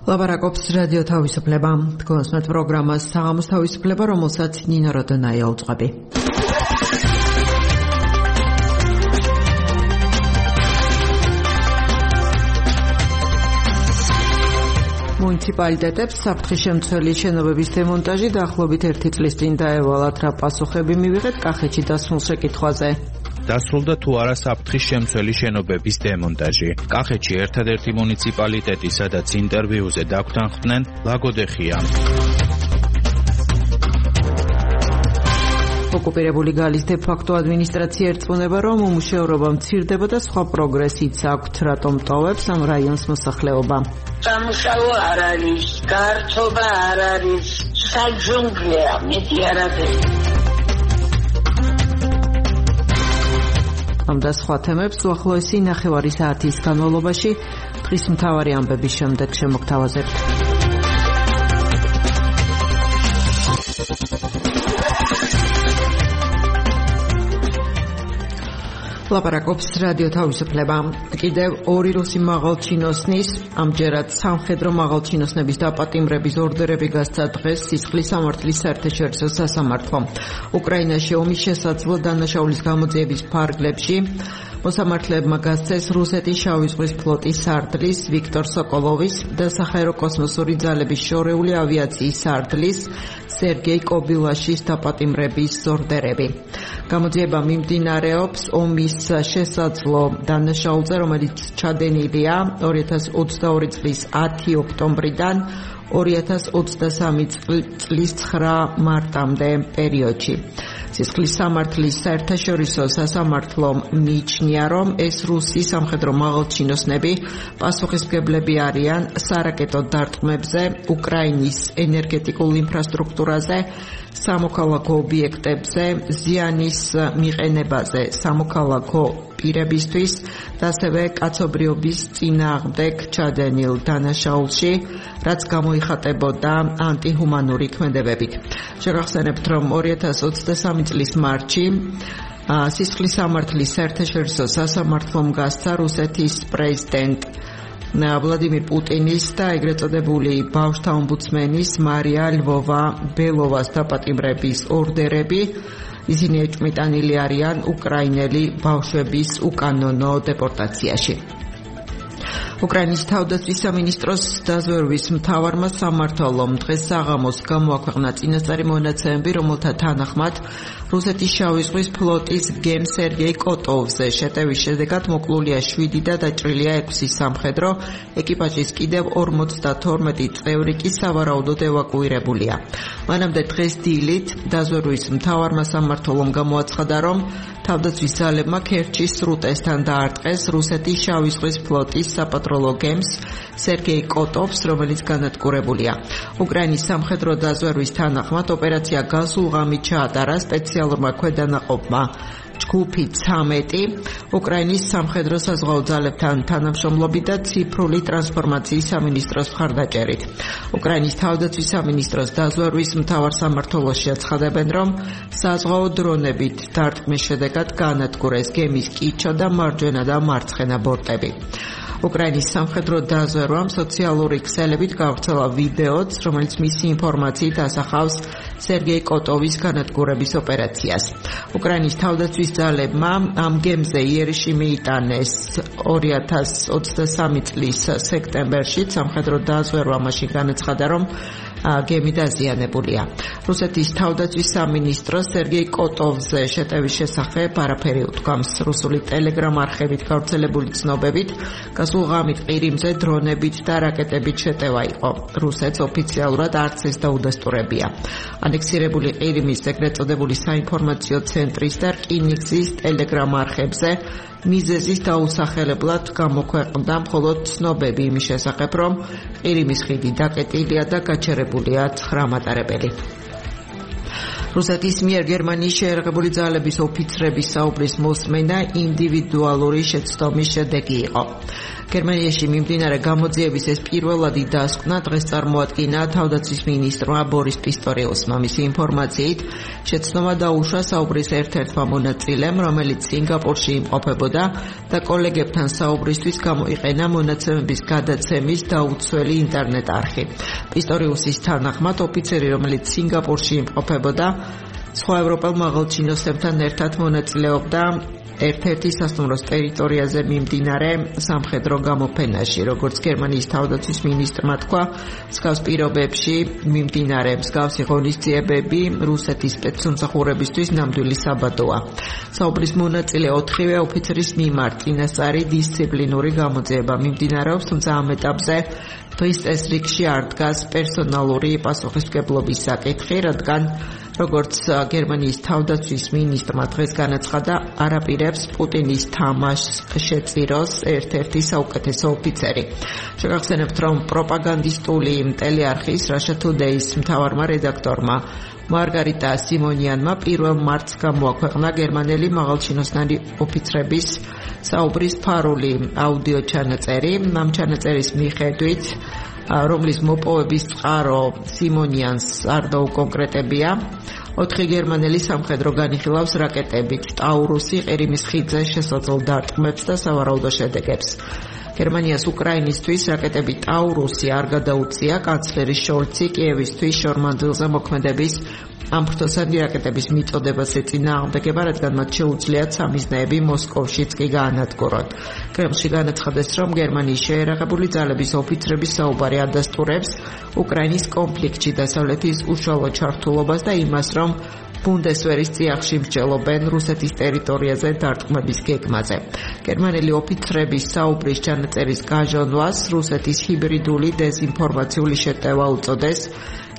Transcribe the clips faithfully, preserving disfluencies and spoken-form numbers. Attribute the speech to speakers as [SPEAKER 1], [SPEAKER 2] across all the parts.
[SPEAKER 1] ლაპარაკობს რადიო თავისუფლება. თქვენს პროგრამას საღამოს თავისუფლება, რომელსაც ნინო როდონაია უძღვები. მუნიციპალიტეტებს საფრთხის შემცველი შენობების დემონტაჟი დაახლოებით ერთი წლის წინ დაევალათ, რა პასუხები მივიღეთ კახეთში დასმულ შეკითხვაზე.
[SPEAKER 2] დასრულდა თუ არა საფრთხის შემცველი შენობების დემონტაჟი. კახეთში ერთადერთი მუნიციპალიტეტი, სადაც ინტერვიუზე დაგვთანხმდნენ, ლაგოდეხია. ოკუპირებული გალის დე-ფაქტო ადმინისტრაცია ერწმუნება, რომ უმუშევრობა მცირდება და სხვა პროგრესიც აქვთ, რატომ ტოვებს ამ რაიონს მოსახლეობა.
[SPEAKER 3] სამუშაო არ არის, გართობა არ არის, საჯუნგლეა, მეტი არ არის.
[SPEAKER 1] ამ და სხვა თემებს უახლოესი ნახევარი საათის განმავლობაში დღის მთავარი ამბების შემდეგ შემოგთავაზებთ. ლაპარაკობს რადიო თავისუფლება. კიდევ ორი რუსი მაღალჩინოსნის, ამჯერად სამხედრო მაღალჩინოსნების დაპატიმრების ორდერები გასცა დღეს სისხლის სამართლის საერთაშორისო სასამართლომ. უკრაინაში ომის შესაძლო დანაშაულის გამოძიების ფარგლებში მოსამართლებმა გასცეს რუსეთის შავი ზღვის ფლოტის სარდლის ვიქტორ სოკოლოვის და საჰაერო კოსმოსური ძალების შორეული ავიაციის სარდლის სერგეი კობილაშის დაპატიმრების ორდერები. გამოძიება მიმდინარეობს ომის შესაძლო დანაშაულზე, რომელიც ჩადენილია ორი ათას ოცდაორი წლის ათი ოქტომბრიდან ორი ათას ოცდასამი წლის ცხრა მარტამდე პერიოდში. სისხლის სამართლის საერთაშორისო სასამართლომ მიიჩნია, რომ ეს რუსი სამხედრო მაღალჩინოსნები პასუხისმგებლები არიან სარაკეტო დარტყმებზე, უკრაინის ენერგეტიკულ ინფრასტრუქტურაზე, სამოქალაქო ობიექტებზე, ზიანის მიყენებაზე სამოქალაქო პირებისთვის და ასევე კაცობრიობის წინააღმდეგ ჩადენილ დანაშაულში, რაც გამოიხატებოდა ანტიჰუმანური ქმედებებით. შეგახსენებთ, რომ ორი ათას ოცდასამი წლის მარტში სისხლის სამართლის საერთაშორისო სასამართლომ გასცა რუსეთის პრეზიდენტ ვლადიმირ პუტინის და ეგრეთ წოდებული ბავშვთა ომბუდსმენის მარია ლვოვა ბელოვას დაპატიმრების ორდერები. ისინი ეჭვმიტანილი არიან უკრაინელი ბავშვების უკანონო დეპორტაციაში. უკრაინის თავდაცვის სამინისტროს დაზვერვის მთავარმა სამმართველომ დღეს საღამოს გამოაქვეყნა წინასწარი მონაცემები, რომელთა თანახმად რუსეთის შავი ზღვის ფლოტის გემ სერგეი კოტოვზე შეტევის შედეგად მოკლულია შვიდი და დაჭრილია ექვსი სამხედრო, ეკიპაჟის კიდევ ორმოცდათორმეტი წევრი კი სავარაუდოდ ევაკუირებულია. მანამდე დღეს დილით დაზვერვის მთავარმა სამმართველომ გამოაცხადა, რომ თავდაცვის ძალებმა ქერჩის სრუტესთან დაარტყეს რუსეთის შავი ზღვის ფლოტის საპატროლო გემს სერგეი კოტოვს, რომელიც განადგურებულია. უკრაინის სამხედრო დაზვერვის თანახმად ოპერაცია გასულ ღამით ჩაატარა სპეციალურმა ქვედანაყოფმა ჯგუფი ცამეტი უკრაინის სამხედრო საზღვაო ძალებთან თანამშრომლობით და ციფრული ტრანსფორმაციის სამინისტროს მხარდაჭერით. უკრაინის თავდაცვის სამინისტროს დაზვერვის მთავარ სამმართველოში აცხადებენ, რომ საზღვაო დრონებით დარტყმის შედეგად განადგურეს გემის კიჩო და მარჯვენა და მარცხენა ბორტები. უკრაინის სამხედრო დაზვერვამ სოციალური ქსელებით გავრცელა ვიდეოც, რომელიც მისი ინფორმაციით ასახავს სერგეი კოტოვის განადგურების ოპერაციას. უკრაინის თავდაცვის ძალებმა ამ გემზე იერიში მიიტანეს ორი ათას ოცდასამი წლის სექტემბერში. სამხედრო დაზვერვა მაშინ განაცხადა, რომ გემი დაზიანებულია. რუსეთის თავდაცვის სამინისტრო სერგეი კოტოვზე შეტევის შესახებ არაფერი უთქვამს. რუსული ტელეგრამ არხებით გავრცელებული ცნობებით გასულ ღამით ყირიმზე დრონებით და რაკეტებით შეტევა იყო. რუსეთს ოფიციალურად არც ეს დაუდასტურებია. ანექსირებული ყირიმის ეგრეთ წოდებული საინფორმაციო ცენტრის და რკინიგზის ტელეგრამ არხებზე მიზეზის დაუსახელებლად გამოქვეყნდა მხოლოდ ცნობები იმის შესახებ, რომ ყირიმის ხიდი დაკეტილია და გაჩერებულია ცხრა მატარებელი. რუსეთის მიერ გერმანიის შეერაღებული ძალების ოფიცრების საუბრის მოსმენა ინდივიდუალური შეცდომის შედეგი იყო. გერმანიაში მიმდინარე გამოძიების ეს პირველადი დასკვნა დღეს წარმოადგინა თავდაცვის მინისტრმა ბორის პისტორიუსმა. მისი ინფორმაციით შეცდომა დაუშვა საუბრის ერთ-ერთმა მონაწილემ, რომელიც სინგაპურში იმყოფებოდა და კოლეგებთან საუბრისთვის გამოიყენა მონაცემების გადაცემის დაუცველი ინტერნეტ არხი. პისტორიუსის თანახმად ოფიცერი, რომელიც სინგაპურში იმყოფებოდა, სხვა ევროპელ მაღალჩინოსებთან ერთად მონაწილეობდა ერთ-ერთი სასტუმროს ტერიტორიაზე მიმდინარე სამხედრო გამოფენაში. როგორც გერმანიის თავდაცვის მინისტრმა თქვა, მსგავს პირობებში მიმდინარე მსგავსი ღონისძიებები რუსეთის სპეცსამსახურებისთვის ნამდვილი საბადოა. საუბრის მონაწილე ოთხივე ოფიცრის მიმართ წინასწარი დისციპლინური გამოძიება მიმდინარეობს, თუმცა ამ ეტაპზე დღის წესრიგში არ დგას პერსონალური პასუხისმგებლობის საკითხი, რადგან როგორც გერმანიის თავდაცვის მინისტრმა დღეს განაცხადა, არ აპირებს პუტინის თამაშს შეწიროს ერთ-ერთი საუკეთესო ოფიცერი. შეგახსენებთ, რომ პროპაგანდისტული ტელეარხის Russia Today-ის მთავარმა რედაქტორმა მარგარიტა სიმონიანმა პირველ მარტს გამოაქვეყნა გერმანელი მაღალჩინოსნარი ოფიცრების საუბრის ფარული აუდიო ჩანაწერი. ამ ჩანაწერის მიხედვით, რომლის მოპოვების წყარო სიმონიანს არ დაუკონკრეტებია, ოთხი გერმანელი სამხედრო განიხილავს რაკეტებით ტაურუსი ყირიმის ხიდზე შესაძლო დარტყმებს და სავარაუდო შედეგებს. გერმანიას უკრაინისთვის რაკეტები ტაურუსი არ გადაუწია. კანცლერი შოლცი კიევისთვის შორმანძილზე მოქმედების ამ ფრთოსანი რაკეტების მიწოდებას ეწინააღმდეგება, რადგან მათ შეუძლიათ სამიზნეები მოსკოვშიც კი გაანადგურონ. კრემლში განაცხადეს, რომ გერმანიის შეერაღებული ძალების ოფიცრების საუბარი ადასტურებს უკრაინის კონფლიქტში დასავლეთის უშუალო ჩართულობას და იმას, რომ ბუნდესვერის წიაღში მსჯელობენ რუსეთის ტერიტორიაზე დარტყმების გეგმაზე. გერმანელი ოფიცრების საუბრის ჩანაწერის გაჟონვას რუსეთის ჰიბრიდული დეზინფორმაციული შეტევა უწოდეს.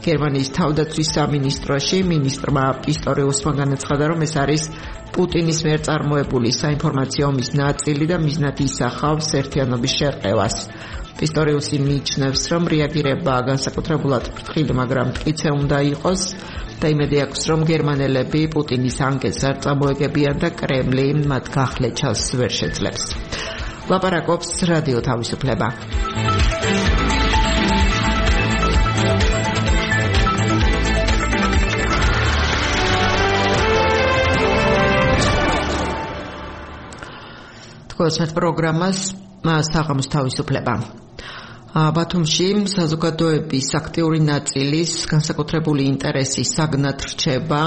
[SPEAKER 1] გერმანიის თავდაცვის სამინისტროში მინისტრმა პისტორიუსმა განაცხადა, რომ ეს არის პუტინის მიერ წარმოებული საინფორმაციო ომის ნაწილი და მიზნად ისახავს ერთიანობის შერყევას. პისტორიუსი მიიჩნევს, რომ რეაგირება განსაკუთრებულად ფრთხილი, მაგრამ მტკიცე უნდა იყოს და იმედი აქვს, რომ გერმანელები პუტინის ანკეტს არ წამოეგებიან და კრემლი მათ გახლეჩას ვერ შეძლებს. ლაპარაკობს რადიო თავისუფლება. გოსმეთ პროგრამას საღამოს თავისუფლება. ბათუმში საზოგადოების აქტიური ნაწილის განსაკუთრებული ინტერესის საგნად რჩება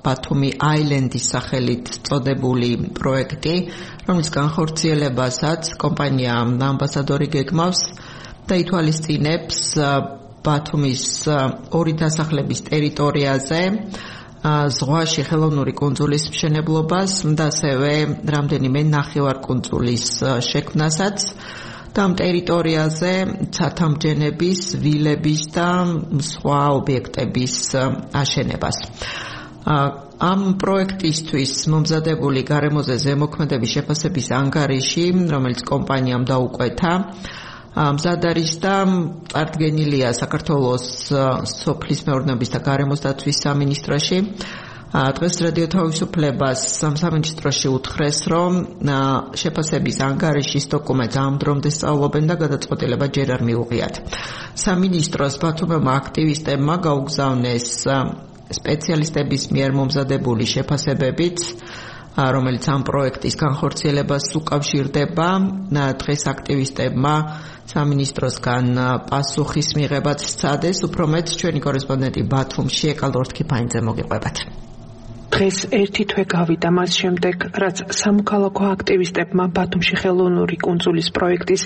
[SPEAKER 1] ბათუმი აილენდის სახელით წოდებული პროექტი, რომლის განხორციელებასაც კომპანია ამბასადორი გეგმავს და ითვალისწინებს ბათუმის ორი დასახლების ტერიტორიაზე ზღვაში ხელოვნური კუნძულის მშენებლობას და ასევე რამდენიმე ნახევარკუნძულის შექმნასაც და ამ ტერიტორიაზე ცათამბჯენების, ვილების და სხვა ობიექტების აშენებას. ამ პროექტისთვის მომზადებული გარემოზე ზემოქმედების შეფასების ანგარიში, რომელიც კომპანიამ დაუკვეთა, მზად არის და წარდგენილია საქართველოს სოფლის მეურნეობის და გარემოს დაცვის სამინისტროში. დღეს რადიო თავისუფლებას სამინისტროში უთხრეს, რომ შეფასების ანგარიშის დოკუმენტს ამ დრომდე სწავლობენ და გადაწყვეტილება ჯერ არ მიუღიათ. სამინისტროს ბათუმელმა აქტივისტებმა გაუგზავნეს სპეციალისტების მიერ მომზადებული შეფასებებით, რომელიც ამ პროექტის განხორციელებას უკავშირდება. დღეს აქტივისტებმა სამინისტროსგან პასუხის მიღებაც სცადეს. უფრო მეტ ჩვენი კორესპონდენტი ბათუმში ეკალორთ ქიფაინძე მოგიყვებათ.
[SPEAKER 4] დღეს ერთი თვე გავიდა მას შემდეგ, რაც სამოქალაქო აქტივისტებმა ბათუმში ხელოვნური კუნძულის პროექტის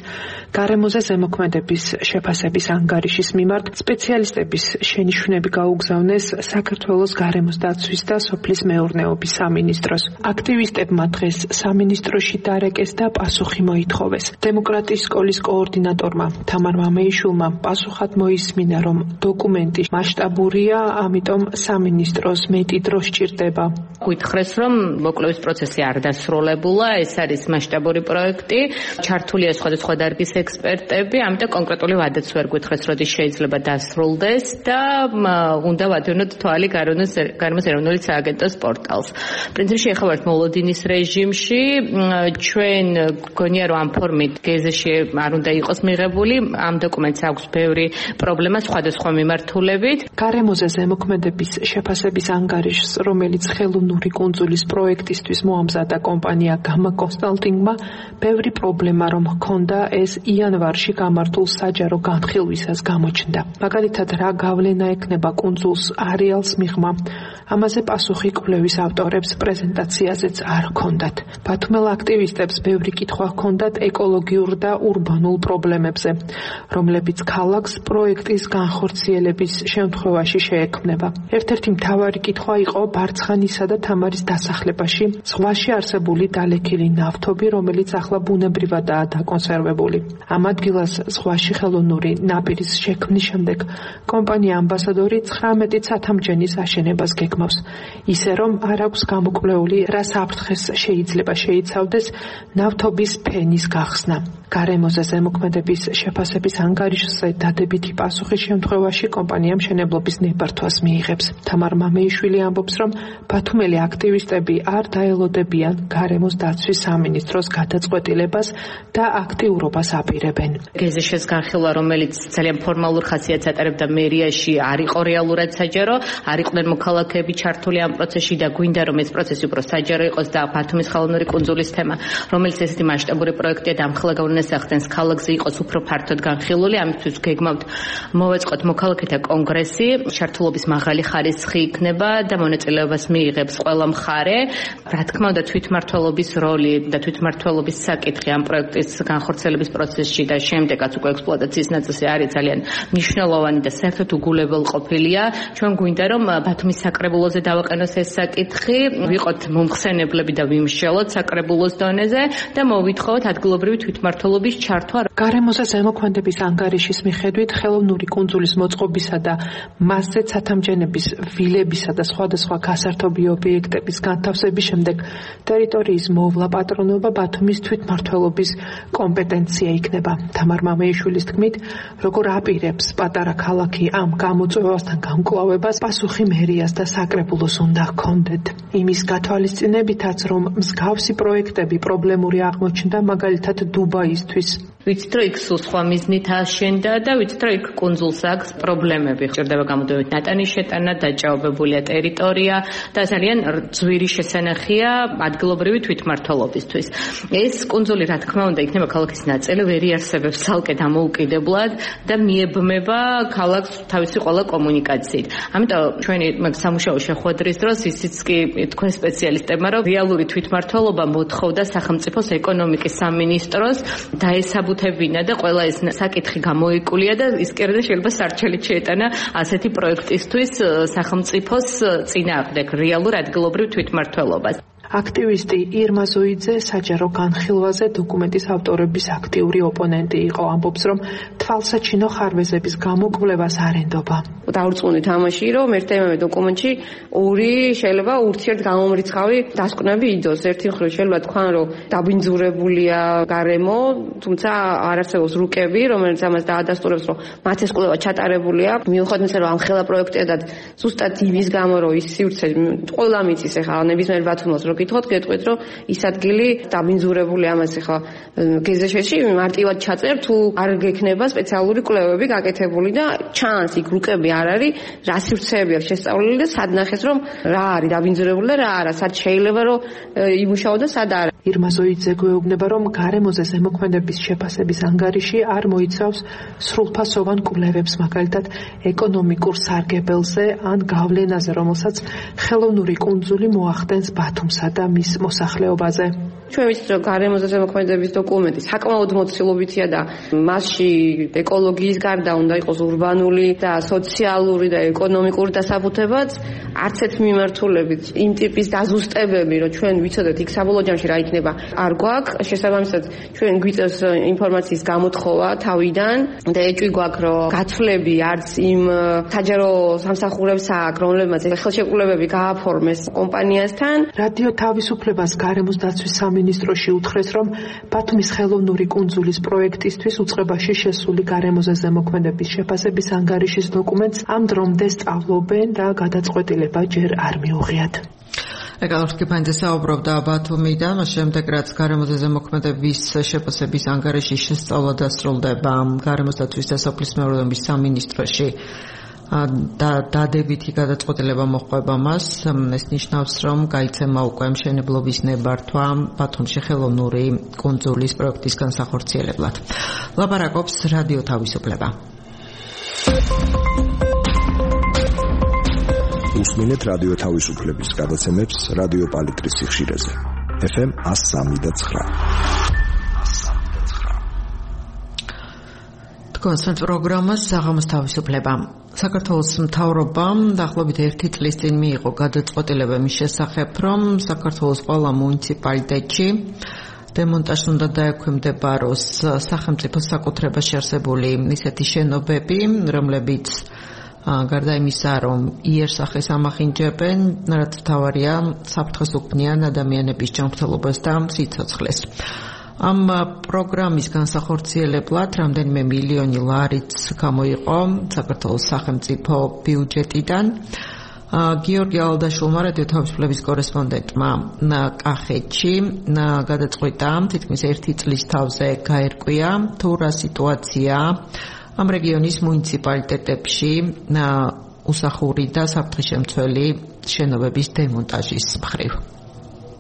[SPEAKER 4] გარემოზე ზემოქმედების შეფასების ანგარიშის მიმართ სპეციალისტების შენიშვნები გაუგზავნეს საქართველოს გარემოს დაცვის და სოფლის მეურნეობის სამინისტროს. აქტივისტებმა დღეს სამინისტროში დარეკეს და პასუხი მოითხოვეს. დემოკრატიის სკოლის კოორდინატორმა თამარ მამეიშვილმა პასუხად მოისმინა, რომ დოკუმენტი მასშტაბურია, ამიტომ სამინისტროს მეტი დრო სჭირდება ხდება.
[SPEAKER 5] გითხრეს, რომ მოკვლევის პროცესი არ დასრულებულა, ეს არის მასშტაბური პროექტი, ჩართულია სხვადასხვა დარგის ექსპერტები, ამიტომ კონკრეტული ვადაც ვერ გითხრეს, როდის შეიძლება დასრულდეს და უნდა ვადევნოთ თვალი გარემოს ეროვნული სააგენტოს პორტალს. პრინციპში ახლა ვართ მოლოდინის რეჟიმში, ჩვენ გონია რომ ამ ფორმით გეზში არ უნდა იყოს მიღებული, ამ დოკუმენტს აქვს ბევრი პრობლემა სხვადასხვა მიმართულებით.
[SPEAKER 4] გარემოზე ზემოქმედების შეფასების ანგარიშს, რომელიც ხელოვნური კუნძულის პროექტისთვის მოამზადა კომპანია გამა კონსალტინგმა, ბევრი პრობლემა რომ ჰქონდა, ეს იანვარში გამართულ საჯარო განხილვისას გამოჩნდა. მაგალითად, რა გავლენა ექნება კუნძულს არეალს მიღმა. ამაზე პასუხი კვლევის ავტორებს პრეზენტაციაზეც არ ჰქონდათ. ბათუმელ აქტივისტებს ბევრი კითხვა ჰქონდათ ეკოლოგიურ და ურბანულ პრობლემებზე, რომლებიც ქალაქს პროექტის განხორციელების შემთხვევაში შეექმნება. ერთ-ერთი მთავარი კითხვა იყო ბარცხანისა და თამარის დასახლებაში ზღვაში არსებული დალექილი ნავთობი, რომელიც ახლა ბუნებრივადაა დაკონსერვებული. ამ ადგილას ზღვაში ხელოვნური ნაპირის შექმნის შემდეგ კომპანია ამბასადორი ცხრამეტი ცათამბჯენის აშენებას გეგმავს, ისე რომ არ აქვს გამოკვლეული რა საფრთხეს შეიძლება შეიცავდეს ნავთობის ფენის გახსნა. გარემოზე ზემოქმედების შეფასების ანგარიშზე დადებითი პასუხის შემთხვევაში კომპანია მშენებლობის ნებართვას მიიღებს. თამარ მამეიშვილი ამბობს, რომ ბათუმელი აქტივისტები არ დაელოდებიან გარემოს დაცვის სამინისტროს გადაწყვეტილებას და აქტიურობას აპირებენ.
[SPEAKER 5] გეზეშის განხილვა, რომელიც ძალიან ფორმალურ ხასიათს ატარებდა მერიაში, არ იყო რეალურად საჯარო, არ იყვნენ მოქალაქეები ჩართული ამ პროცესში და გვინდა რომ ეს პროცესი უფრო საჯარო იყოს და ბათუმის ხელოვნური კუნძულის თემა, რომელიც ესეთი მასშტაბური პროექტია და ამხელა გავლენას ქალაქზე იყოს უფრო ფართოდ განხილული, ამისთვის გეგმავთ მოვეწყოთ მოქალაქეთა კონგრესი, ჩართულობის მაღალი ხარისხი იქნება და მონაწილეობას მიიღებს ყველა მხარე. რა თქმა უნდა, თვითმმართველობის როლი და თვითმმართველობის საკითხი ამ პროექტის განხორციელების პროცესში და შემდეგაც უკვე ექსპლუატაციის ნაწილში არის ძალიან მნიშვნელოვანი და საერთოდ უგულებელყოფილია. ჩვენ გვინდა რომ ბათუმის საკრებულოზე დავაყენოს ეს საკითხი, ვიყოთ მომხსენებლები და ვიმსჯელოთ საკრებულოს დონეზე და მოვითხოვოთ ადგილობრივი თვითმმართველობის ჩართვა.
[SPEAKER 4] გარემოზე ზემოქმედების ანგარიშის მიხედვით ხელოვნური კუნძულის მოწყობისა და მასზე ცათამბჯენების ვილებისა და სხვადასხვა გასართობი ობიექტების განთავსების შემდეგ ტერიტორიის მოვლა პატრონობა ბათუმის თვითმმართველობის კომპეტენცია იქნება. თამარ მამეიშვილის თქმით, როგორ აპირებს პატარა ქალაქი ამ გამოწვევასთან გამკლავებას, პასუხი მერიას და საკრებულოს უნდა ჰქონდეთ. იმის გათვალისწინებითაც, რომ მსგავსი პროექტები პრობლემური აღმოჩნდა, მაგალითად დუბაისთვის.
[SPEAKER 5] ვიცით რომ იქ სულ სხვა მიზნით აშენდა და ვიცით რომ იქ კუნძულს აქვს პრობლემები. ჭირდება გამოდევით ნატანის შეტანა, დაჭაობებულია ტერიტორია და ძალიან ძვირი შესანახია ადგილობრივი თვითმმართველობისთვის. ეს კუნძული რა თქმა უნდა იქნება ქალაქის ნაწილი, ვერ იარსებებს ცალკე დამოუკიდებლად და მიებმება ქალაქს თავისი ყველა კომუნიკაციით. ამიტომ ჩვენი სამუშაო შეხვედრის დროს ისიც კი თქვენ სპეციალისტებმა რომ რეალური თვითმმართველობა მოთხოვდა სახელმწიფოს ეკონომიკის სამინისტროს დაესაბუთებინა და ყველა ეს საკითხი გამოიკულია და ის კიდე შეიძლება სარჩელით შეეტანა ასეთი პროექტისთვის სახელმწიფოს წინააღმდეგ რეალურ ადგილობრივ თვითმმართველობას.
[SPEAKER 4] აქტივისტი ირმა ზოიძე საჯარო განხილვაზე დოკუმენტის ავტორების აქტიური ოპონენტი იყო, ამბობს, რომ თვალსაჩინო ხარვეზების გამოკვლევას არ ენდობა.
[SPEAKER 6] დაურწმუნდი თამაში, რომ ერთ-ერთ დოკუმენტში ორი შეიძლება ურთიერთგამომრიცხავი დასკვნები იდოს. ერთი მხრივ შეიძლება თქვან, რომ დაბინძურებულია გარემო, თუმცა არ არსებობს რუკები, რომელიც ამას დაადასტურებს, რომ მათ ეს კვლევა ჩატარებულია. მიუხედავად იმისა, რომ ამ ხელა პროექტია და ზუსტად იმის გამო, რომ ის სივრცე ყველა მიწის ახლა ნებისმიერ ბათუმელს გითხოთ, გეტყვით, რომ ის ადგილი დაბინძურებული ამას ახლა გეზეშეში მარტივად ჩაწერთ, თუ არ გექნება სპეციალური კვლევები გაკეთებული და ჩანს იქ რუკები არ არის, რა სივრცეები აქვს შესწავლილი და სად ნახეს, რომ რა არის დაბინძურებული და რა არა, სად შეიძლება რომ იმუშაო და სად არა.
[SPEAKER 4] ირმა ზოიძე გვეუბნება, რომ გარემოზე ზემოქმედების შეფასების ანგარიში არ მოიცავს სრულფასოვან კვლევებს, მაგალითად ეკონომიკურ სარგებელზე ან გავლენაზე, რომელსაც ხელოვნური კუნძული მოახდენს ბათუმსა და მის მოსახლეობაზე.
[SPEAKER 6] ჩვენ ვიცით, რომ გარემოზე ზემოქმედების დოკუმენტი საკმაოდ მოცილობითია და მასში ეკოლოგიის გარდა უნდა იყოს ურბანული და სოციალური და ეკონომიკური დასაბუთებაც, არც ერთ მიმართულებით იმ ტიპის დაზუსტებები, რომ ჩვენ ვიცოდეთ იქ საბოლოო ჯამში რა იქნება, არ გვაქვს. შესაბამისად, ჩვენ გვიწევს ინფორმაციის გამოთხოვა თავიდან და ეჭვი გვაქვს, რომ გაცვლები არც იმ საჯარო სამსახურებს აქვს, რომლებმაც ხელშეკრულებები გააფორმეს კომპანიასთან.
[SPEAKER 4] რადიო თავისუფლებას გარემოს დაცვის სამინისტროში უთხრეს, რომ ბათუმის ხელოვნური კუნძულის პროექტისთვის უწყებაში შესული გარემოზე ზემოქმედების შეფასების ანგარიშის დოკუმენტს ამ დრომდე სწავლობენ და გადაწყვეტილება ჯერ არ მიუღიათ.
[SPEAKER 1] ეკალორ კიფანძე საუბრობდა ბათუმიდან, მას შემდეგ რაც გარემოზე ზემოქმედების შეფასების ანგარიშის შესწავლა დასრულდება გარემოს დაცვის და სოფლის მეურნეობის სამინისტროში და დადებითი გადაწყვეტილება მოჰყვება მას, ეს ნიშნავს, რომ გაიცემა უკვე მშენებლობის ნებართვა ბათუმში ხელოვნური კუნძულის პროექტის განსახორციელებლად. ლაპარაკობს რადიო თავისუფლება.
[SPEAKER 7] უსმინეთ რადიო თავისუფლების გადაცემებს რადიო პალიტრის სიხშირეზე. ეფ ემ one oh three point nine.
[SPEAKER 1] თქვენს პროგრამას საღამოს თავისუფლება. საქართველოს მთავრობამ დაახლოებით ერთი წლის წინ მიიღო გადაწყვეტილება მის შესახებ, რომ საქართველოს ყველა მუნიციპალიტეტში დემონტაჟს უნდა დაექვემდებაროს სახელმწიფო საკუთრებაში არსებული ისეთი შენობები, რომლებიც გარდა იმისა, რომ იერსახეს ამახინჯებენ, რაც მთავარია საფრთხეს უქმნიან ადამიანების ჯანმრთელობას და სიცოცხლეს. ამ პროგრამის განსახორციელებლად რამდენიმე მილიონი ლარიც გამოიყო საქართველოს სახელმწიფო ბიუჯეტიდან. გიორგი ალდაშულმა რადიო თავისუფლების კორესპონდენტმა კახეთში გადაწყვიტა თითქმის ერთი წლის თავზე გაერკვია თუ რა სიტუაცია ამ რეგიონის მუნიციპალიტეტებში უსახური და საფრთხესშემცველი შენობების დემონტაჟის მხრივ.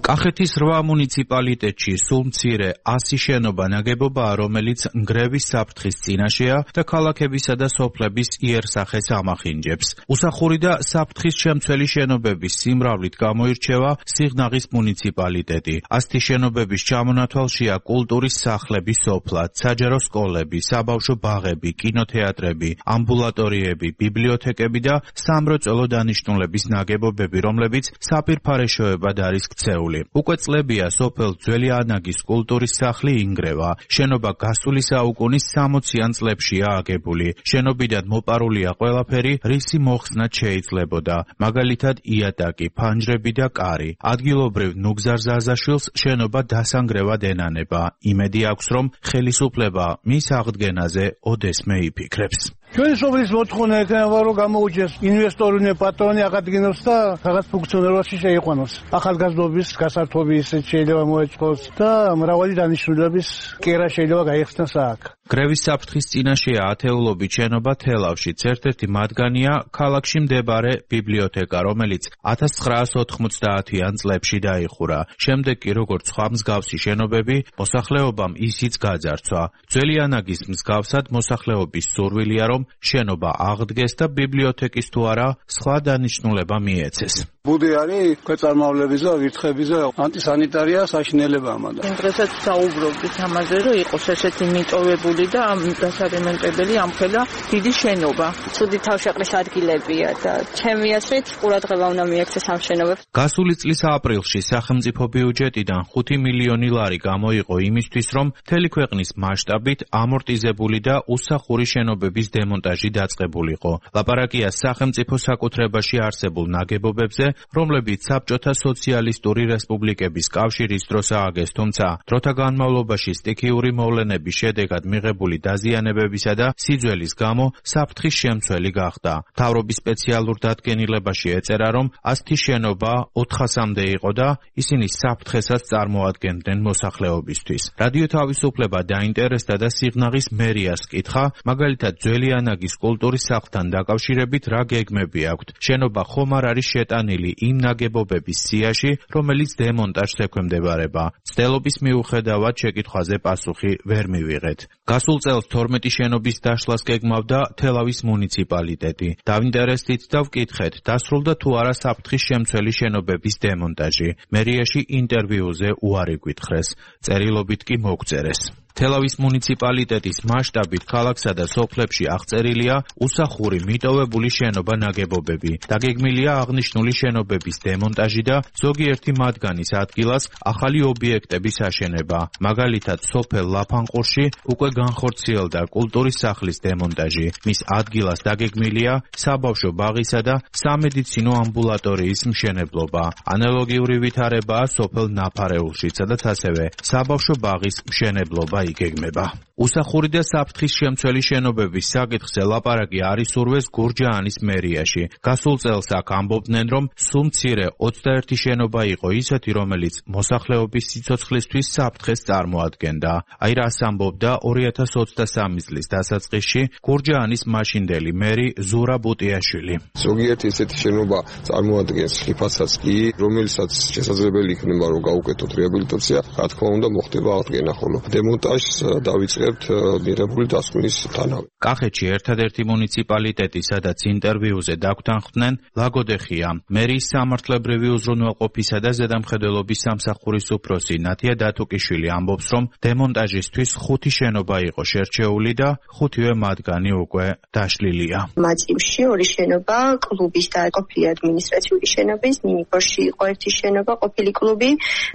[SPEAKER 2] კახეთის რვა მუნიციპალიტეტში სულ მცირე ასი შენობა ნაგებობაა, რომელიც ნგრევის საფრთხის წინაშეა და ქალაქებისა და სოფლების იერსახეს ამახინჯებს. უსახური და საფრთხის შემცველი შენობების სიმრავლით გამოირჩევა სიღნაღის მუნიციპალიტეტი. ასეთი შენობების ჩამონათვალშია კულტურის სახლები სოფლად, საჯარო სკოლები, საბავშვო ბაღები, კინოთეატრები, ამბულატორიები, ბიბლიოთეკები და სამრეწველო დანიშნულების ნაგებობები, რომლებიც საფირფარეშოებად არის ქცეული. უკვე წლებია სოფელ ძველი ანაგის კულტურის სახლი ინგრევა. შენობა გასული საუკუნის სამოციან წლებშია აგებული. შენობიდან მოპარულია ყველაფერი, რისი მოხსნად შეიძლებოდა. მაგალითად იატაკი, ფანჯრები და კარი. ადგილობრივ ნუგზარ ზაზაშვილს შენობა დასანგრევად ენანება. იმედი აქვს, რომ ხელისუფლება მის აღდგენაზე ოდესმე იფიქრებს.
[SPEAKER 8] ჩვენი სოფლის მოთხოვნა იქნება, რომ გამოუჩეს ინვესტორული პატრონი აღადგინოს და რაღაც ფუნქციონირებაში შეიყვანოს. ახალგაზრდობის გასართობი ისეთ შეიძლება მოეწყოს და მრავალი დანიშნულების კერა შეიძლება გაიხსნას აქ.
[SPEAKER 2] გრევის საფრთხის წინაშეა ათეულობით შენობა თელავშიც. ერთ-ერთი მათგანია ქალაქში მდებარე ბიბლიოთეკა, რომელიც ათას ცხრაას ოთხმოცდაათიან წლებში დაიხურა. შემდეგ კი როგორც სხვა მსგავსი შენობები, მოსახლეობამ ისიც გაძარცვა. ძველი ანაგის მსგავსად მოსახლეობის სურვილია, რომ შენობა აღდგეს და ბიბლიოთეკის თუ არა სხვა დანიშნულება მიეცეს.
[SPEAKER 8] ბუდი არის ქვეწარმავლების და ვირთხების და ანტისანიტარია საშინელება ამადა.
[SPEAKER 9] დღესაც საუბრობთ ამაზე, რომ იყოს ესეთი მიტოვებული და დასარემონტებელი ამხელა დიდი შენობა. ცუდი თავშეყრის ადგილებია და ჩემი აზრით ყურადღება უნდა მიექცეს ამ შენობებს.
[SPEAKER 2] გასული წლის ապრილში სახელმწიფო ბიუჯეტიდან ხუთი მილიონი ლარი გამოიყო იმისთვის, რომ მთელი ქვეყნის მასშტაბით ამორტიზებული და უსახური შენობების დემონტაჟი დაწყებულიყო. ლაპარაკია სახელმწიფო საკუთრებაში არსებულ ნაგებობებზე, რომლებიც საბჭოთა სოციალისტური რესპუბლიკების კავშირის დროს ააგეს, თუმცა დროთა განმავლობაში სტიქიური მოვლენების შედეგად მიღებული დაზიანებებისა და სიძველის გამო საფრთხის შემცველი გახდა. მთავრობის სპეციალურ დადგენილებაში ეწერა, რომ ასეთი შენობა ოთხასამდე იყო და ისინი საფრთხესაც წარმოადგენდნენ მოსახლეობისთვის. რადიო თავისუფლება დაინტერესდა და სიღნაღის მერიას კითხა, მაგალითად ძველი ბანაგის კულტურის სახლთან დაკავშირებით რა გეგმები აქვთ? შენობა ხომ არ არის შეტანილი იმ ნაგებობების სიაში, რომელიც დემონტაჟს ექვემდებარება? მცდელობის მიუხედავად შეკითხვაზე პასუხი ვერ მივიღეთ. გასულ წელს თორმეტი შენობის დაშლას გეგმავდა თელავის მუნიციპალიტეტი. დავინტერესდით და ვკითხეთ, დასრულდა თუ არა საფრთხის შემცველი შენობების დემონტაჟი. მერიაში ინტერვიუზე უარი გვითხრეს. წერილობით კი მოგწერეს. თელავის მუნიციპალიტეტის მასშტაბით ქალაქსა და სოფლებში აღწერილია უსახური მიტოვებული შენობა-ნაგებობები. დაგეგმილია აღნიშნული შენობების დემონტაჟი და ზოგიერთი მათგანის ადგილას ახალი ობიექტების აშენება. მაგალითად, სოფელ ლაფანყურში უკვე განხორციელდა კულტურის სახლის დემონტაჟი. მის ადგილას დაგეგმილია საბავშვო ბაღისა და სამედიცინო ამბულატორიის მშენებლობა. ანალოგიური ვითარებაა სოფელ ნაფარეულში, სადაც ასევე საბავშვო ბაღის მშენებლობა იგეგმება. უსახური და საფრთხის შემცველი შენობების საკითხზე ლაპარაკი არის ურვეს გურჯაანის მერიაში. გასულ წელს აქ ამბობდნენ, რომ სულ მცირე ოცდაერთი შენობა იყო ისეთი, რომელიც მოსახლეობის სიცოცხლისთვის საფრთხეს წარმოადგენდა. აი რას ამბობდა ორი ათას ოცდასამი წლის დასაწყისში გურჯაანის მაშინდელი მერი ზურა ბუტიაშვილი.
[SPEAKER 10] ზოგიერთი ესეთი შენობა წარმოადგენს ხიფათსაც კი, რომელსაც შესაძლებელი იქნება რომ გაუკეთოთ რეაბილიტაცია, რა თქმა უნდა მოხდება აღდგენა, ხოლო დემონტაჟს დავიწყებთ მიღებული დასკვნის თანავე.
[SPEAKER 2] კახეთში ერთადერთი მუნიციპალიტეტი, სადაც ინტერვიუზე დაგვთანხმდნენ, ლაგოდეხია. მერის სამართლებრივი უზრუნველყოფისა და ზედამხედველობის სამსახურის უფროსი ნათია დათუკიშვილი ამბობს, რომ დემონტაჟისთვის ხუთი შენობა იყო შერჩეული და ხუთივე მათგანი უკვე დაშლილია.
[SPEAKER 11] მაწივში ორი შენობა კლუბის და ყოფილი ადმინისტრაციული შენობის, ნინიპორში იყო ერთი შენობა ყოფილი კლუბი,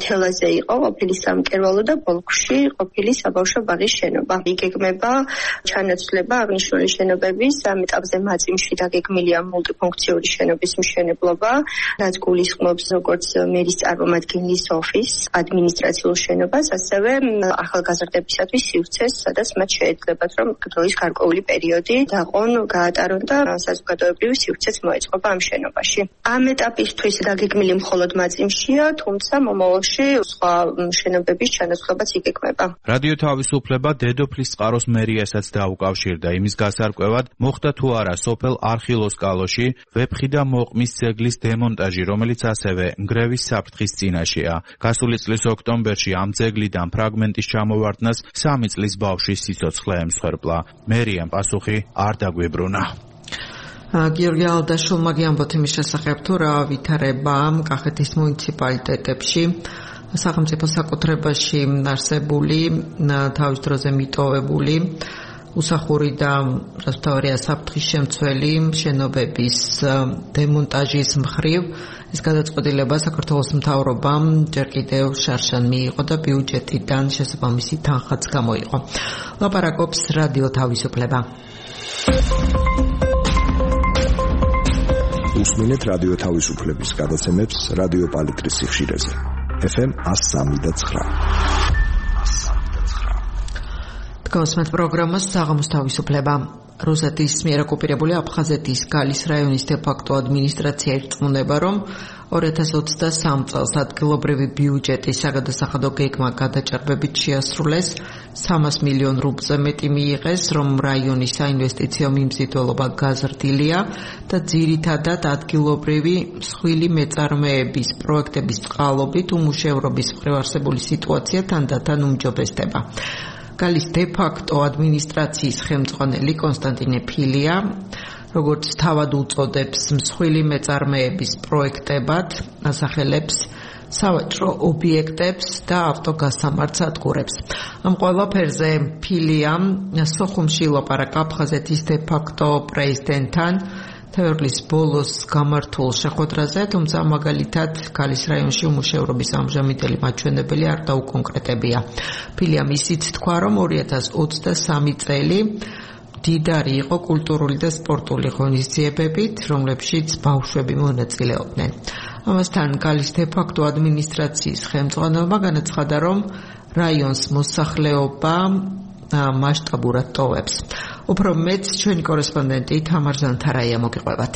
[SPEAKER 11] თელაზე იყო ყოფილი სამკერვალო და ბოლქვში ყოფილი საბავშვო ბაღის შენობა. იგეგმება ჩანაცვლება აღნიშნული შენობების ამ ეტაპზე მაწიმში დაგეგმილია მულტიფუნქციური შენობის მშენებლობა, რაც გულისხმობს როგორც მერის წარმომადგენლის ოფისს, ადმინისტრაციულ შენობას, ასევე ახალგაზრდებისათვის სივრცეს, სადაც მათ შეეძლებათ, რომ დროის გარკვეული პერიოდი დაყონ, გაატარონ და საზოგადოებრივი სივრცეც მოეწყობა ამ შენობაში. ამ ეტაპისთვის დაგეგმილი მხოლოდ მაწიმშია, თუმცა მომავალში სხვა შენობების ჩანაცვლებაც იგეგმება.
[SPEAKER 2] რადიო თავისუფლება დედოფლის წყაროს მერიასაც დაუკავშირდა იმის გასარკვევად, მოხდა თუ არა სოფელ არხილოს კალოში ვეფხი და მოყმის ძეგლის დემონტაჟი, რომელიც ასევე ნგრევის საფრთხის წინაშეა. გასული წლის ოქტომბერში ამ ძეგლიდან ფრაგმენტის ჩამოვარდნას სამი წლის ბავშვის სიცოცხლე ემსხვერპლა. მერიამ პასუხი არ დაგვიბრუნა.
[SPEAKER 1] გიორგი ალდაშულმა გიამბოთ იმის შესახებ, თუ რა ვითარება კახეთის მუნიციპალიტეტებში სახელმწიფო საკუთრებაში არსებული, თავის დროზე მიტოვებული, უსახური და რასთავარია საფრთხის შემცველი შენობების დემონტაჟის მხრივ. ეს გადაწყვეტილება საქართველოს მთავრობამ ჯერ კიდევ შარშან მიიღო და ბიუჯეტიდან შესაბამისი თანხაც გამოიყო. ლაპარაკობს რადიო თავისუფლება.
[SPEAKER 7] უსმინეთ რადიო თავისუფლების გადაცემებს რადიო პალიტრის სიხშირეზე. ეფ ემ one oh three და nine.
[SPEAKER 1] დგავსმეთ პროგრამას საღამოს თავისუფლება. რუსეთის მიერ ოკუპირებული აფხაზეთის გალის რაიონის დე-ფაქტო ადმინისტრაცია ირწმუნება, რომ ორი ათას ოცდასამი წელს ადგილობრივი ბიუჯეტის საგადასახადო გეგმა გადაჭარბებით შეასრულეს, სამას მილიონ რუბლზე მეტი მიიღეს, რომ რაიონის საინვესტიციო მიმზიდველობა გაზრდილია და ძირითადად ადგილობრივი მსხვილი მეწარმეების პროექტების წყალობით უმუშევრობის მხრივ არსებული სიტუაცია თანდათან უმჯობესდება. გალის დე-ფაქტო ადმინისტრაციის ხელმძღვანელი კონსტანტინე ფილია, როგორც თავად უწოდებს მსხვილი მეწარმეების პროექტებად, ასახელებს სავაჭრო ობიექტებს და ავტოგასამართ სადგურებს. ამ ყველაფერზე ფილიამ სოხუმში ლაპარაკა აფხაზეთის დე-ფაქტო პრეზიდენტთან თებერვლის ბოლოს გამართულ შეხვედრაზე, თუმცა მაგალითად გალის რაიონში უმუშევრობის ამჟამინდელი მაჩვენებელი არ დაუკონკრეტებია. ფილიამ ისიც თქვა, რომ ორი ათას ოცდასამი წელი დიდარი იყო კულტურული და სპორტული ღონისძიებებით, რომლებშიც ბავშვები მონაწილეობდნენ. ამასთან გალის დე-ფაქტო ადმინისტრაციის ხელმძღვანელობა განაცხადა, რომ რაიონს მოსახლეობა მასშტაბურად ტოვებს. უფრო მეც ჩვენი კორესპონდენტი თამარ ზანთარაია მოგიყვებათ.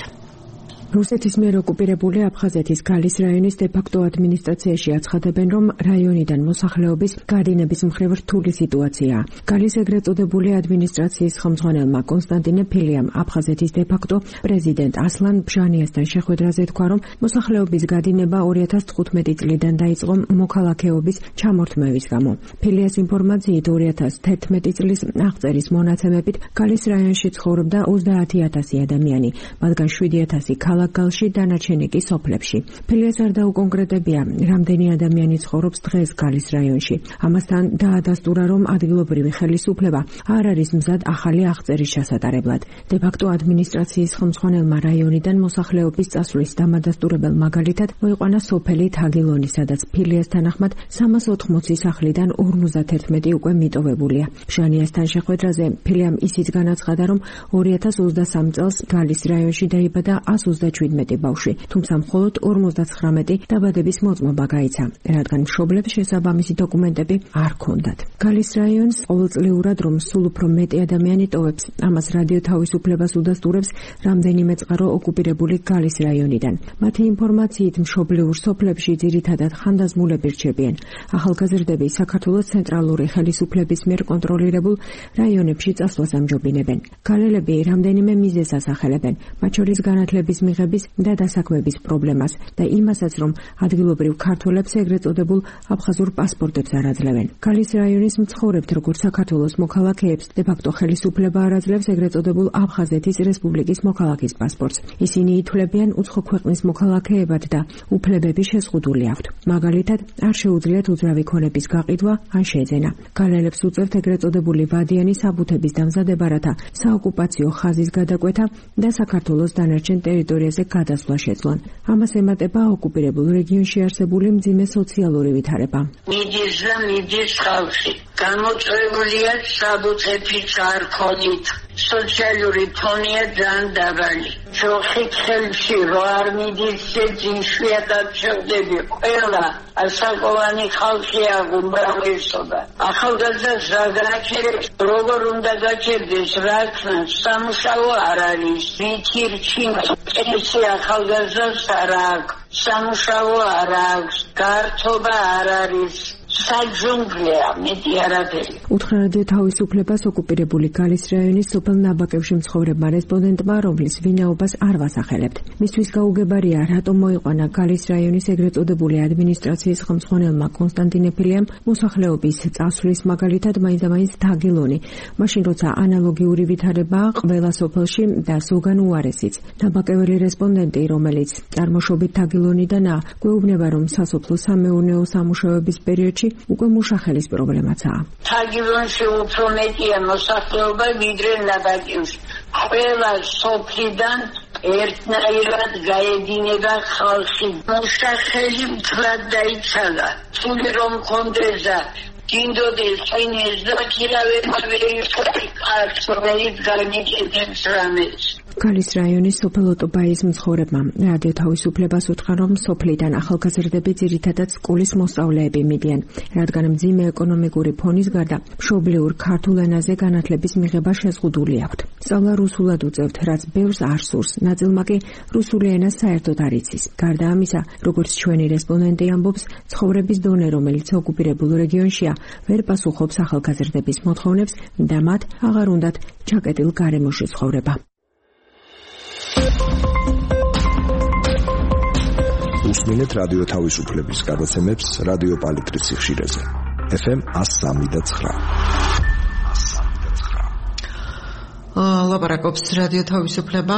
[SPEAKER 12] რუსეთის მიერ ოკუპირებული აფხაზეთის გალის რაიონის დე-ფაქტო ადმინისტრაციაში აცხადებენ, რომ რაიონიდან მოსახლეობის გადინების მხრივ რთული სიტუაციაა. გალის ეგრეთ წოდებული ადმინისტრაციის ხელმძღვანელმა კონსტანტინე ფილიამ აფხაზეთის დე-ფაქტო პრეზიდენტ ასლან ბჟანიასთან შეხვედრაზე თქვა, რომ მოსახლეობის გადინება ორი ათას თხუთმეტი წლიდან დაიწყო მოქალაქეობის ჩამორთმევის გამო. ფილიას ინფორმაციით ორი ათას თერთმეტი წლის აღწერის მონაცემებით გალის რაიონში ცხოვრობდა ოცდაათი ათასი ადამიანი, მათგან შვიდი ათასი ქალაქ გალში, დანარჩენი კი სოფლებში. ფილიას არ დაუკონკრეტებია, რამდენი ადამიანი ცხოვრობს დღეს გალის რაიონში. ამასთან დაადასტურა, რომ ადგილობრივი ხელისუფლება არ არის მზად ახალი აღწერის ჩასატარებლად. დე-ფაქტო ადმინისტრაციის ხელმძღვანელმა რაიონიდან მოსახლეობის წასვლის დამადასტურებელ მაგალითად მოიყვანა სოფელი თაგილონი, სადაც ფილიას თანახმად სამას ოთხმოცი სახლიდან ორმოცდათერთმეტი უკვე მიტოვებულია. ბჟანიასთან შეხვედრაზე ფილიამ ისიც განაცხადა, რომ ორი ათას ოცდასამ წელს გალის რაიონში დაიბადა ას ოცდაჩვიდმეტი ბავშვი, თუმცა მხოლოდ ორმოცდაცხრამეტი დაბადების მოწმობა გაიცა, რადგან მშობლებს შესაბამისი დოკუმენტები არ ჰქონდათ. გალის რაიონს ყოველწლიურად რომ სულ უფრო მეტი ადამიანი ტოვებს, ამას რადიო თავისუფლებას უდასტურებს რამდენიმე წყარო ოკუპირებული გალის რაიონიდან. მათი ინფორმაციით მშობლიურ სოფლებში ძირითადად ხანდაზმულები რჩებიან. ახალგაზრდები საქართველოს ცენტრალური ხელისუფლების მიერ კონტროლირებულ რაიონებში წასვლას ამჯობინებენ. გალელები რამდენიმე მიზეზს ასახელებენ, მათ შორის განათლების მიღების და დასაქმების პრობლემას და იმასაც, რომ ადგილობრივ ქართველებს ეგრეთ წოდებულ აფხაზურ პასპორტებს არ აძლევენ. გალის რაიონის მცხოვრებთ, როგორც საქართველოს მოქალაქეებს, დე-ფაქტო ხელისუფლება არ აძლევს ეგრეთ წოდებულ აფხაზეთის რესპუბლიკის მოქალაქის პასპორტს. ისინი ითვლებიან უცხო ქვეყნის მოქალაქეებად და უფლებები შეზღუდული აქვთ. მაგალითად, არ შეუძლიათ უძრავი ქონების გაყიდვა ან შეძენა. გალელებს უწევთ ეგრეთ წოდებული ვადიანი საბუთების დამზადება, რათა საოკუპაციო ხაზის გადაკვეთა და საქართველოს დანარჩენ ტერიტორიაზე გადასვლა შეძლონ. ამას ემატება ოკუპირებულ რეგიონში არსებული მძიმე სოციალური ვითარება.
[SPEAKER 3] მიდის და მიდის ხალხი. გამოწვეულია საბუთების არქონით. სოციალური ფონია ძალიან დაბალი. ჯოხით ხელში რო არ მიდის ძინშვიათად შევდები. ყველა ასაკოვანი ხალხია უმრავლესობა. ახალგაზრდას რა გააჩერებს, როგორ უნდა გაჩერდეს, რა ქნას, სამუშაო არ არის, ვითი რჩინა, წესი ახალგაზრდას არ აქვს, სამუშაო არ აქვს, გართობა არ არის. საჯუნგლია მეტი არაფერი.
[SPEAKER 12] უთხრა რადიო თავისუფლებას ოკუპირებული გალის რაიონის სოფელ ნაბაკებში მცხოვრებმა რესპონდენტმა, რომლის ვინაობას არ ვასახელებთ. მისთვის გაუგებარია, რატომ მოიყვანა გალის რაიონის ეგრეთ წოდებული ადმინისტრაციის ხელმძღვანელმა კონსტანტინე ფილიამ მოსახლეობის წასვლის მაგალითად მაინც-მაინც თაგილონი, მაშინ როცა ანალოგიური ვითარებაა ყველა სოფელში და ზოგან უარესიც. ნაბაკეველი რესპონდენტი, რომელიც წარმოშობით თაგილონიდანაა, გვეუბნება, რომ სასოფლო სამეურნეო სამუშაოების პერიოდში უკვე მუშახელის პრობლემაცაა.
[SPEAKER 3] თაგილონში უფრო მეტია მოსახლეობა ვიდრე ნაბაკევში. ყველა სოფლიდან ერთნაირად გაედინება ხალხი. მუშახელი მთლად დაიცალა. თული რომ კონდეზა გინდოდეს წინეს და ქირავებავერი კარცრeit განიჭედებს რამეს.
[SPEAKER 12] გალის რაიონის სოფელ ოტობაის მცხოვრებმა რადიო თავისუფლებას უთხრა, რომ სოფლიდან ახალგაზრდები ძირითადად სკოლის მოსწავლეები მიდიან, რადგან მძიმე ეკონომიკური ფონის გარდა მშობლიურ ქართულ ენაზე განათლების მიღება შეზღუდული აქვთ. სწავლა რუსულად უწევთ, რაც ბევრს არ სურს, ნაწილმა კი რუსული ენა საერთოდ არ იცის. გარდა ამისა, როგორც ჩვენი რესპონდენტი ამბობს, ცხოვრების დონე, რომელიც ოკუპირებულ რეგიონშია, ვერ პასუხობს ახალგაზრდების მოთხოვნებს და მათ აღარ უნდათ ჩაკეტილ გარემოში ცხოვრება.
[SPEAKER 7] უსმინეთ რადიო თავისუფლების გადაცემებს რადიო პალიტრის სიხშირეზე. ეფ ემ ას სამი და ცხრა.
[SPEAKER 1] ლაპარაკობს რადიო თავისუფლება.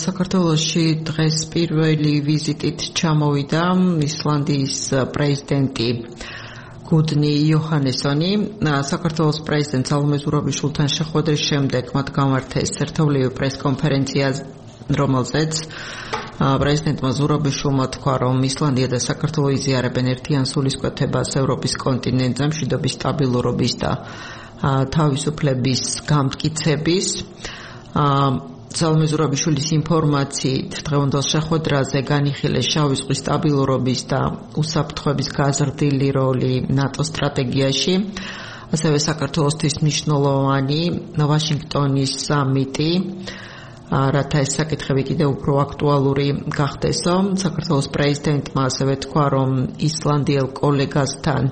[SPEAKER 1] საქართველოში დღეს პირველი ვიზიტით ჩამოვიდა ისლანდიის პრეზიდენტი გუდნი იოჰანესონი. საქართველოს პრეზიდენტ სალომე ზურაბიშვილთან შეხვედრის შემდეგ მათ გამართეს ერთობლივი პრესკონფერენცია, რომელზეც პრეზიდენტმა ზურაბიშვილმა თქვა, რომ ისლანდია და საქართველო იზიარებენ ერთიან სულისკვეთებას ევროპის კონტინენტზე მშვიდობის, სტაბილურობის და თავისუფლების გამტკიცების. სალომე ზურაბიშვილის ინფორმაციით დღევანდელ შეხვედრაზე განიხილეს შავი ზღვის სტაბილურობის და უსაფრთხოების გაზრდილი როლი ნატოს სტრატეგიაში. ასევე საქართველოსთვის მნიშვნელოვანი ვაშინგტონის სამიტი რათა ეს საკითხები კიდევ უფრო აქტუალური გახდესო. საქართველოს პრეზიდენტმა ასევე თქვა, რომ ისლანდიელ კოლეგასთან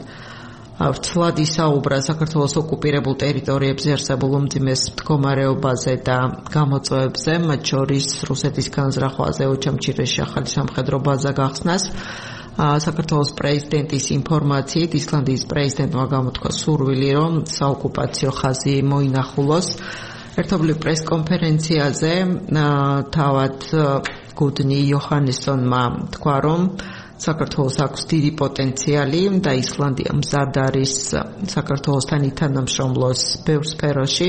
[SPEAKER 1] ვრცლად ისაუბრა საქართველოს ოკუპირებულ ტერიტორიებზე არსებულ უმძიმეს მდგომარეობაზე და გამოწვევებზე, მათ შორის რუსეთის განზრახვაზე, ოჩამჩირეში ახალი სამხედრო ბაზა გახსნას. საქართველოს პრეზიდენტის ინფორმაციით ისლანდიის პრეზიდენტმა გამოთქვა სურვილი, რომ საოკუპაციო ხაზი მოინახულოს. ერთობლივ პრესკონფერენციაზე თავად გუდნი იოჰანესონმა თქვა, რომ საქართველოს აქვს დიდი პოტენციალი და ისლანდია მზად არის საქართველოსთან ითანამშრომლოს ბევრ სფეროში.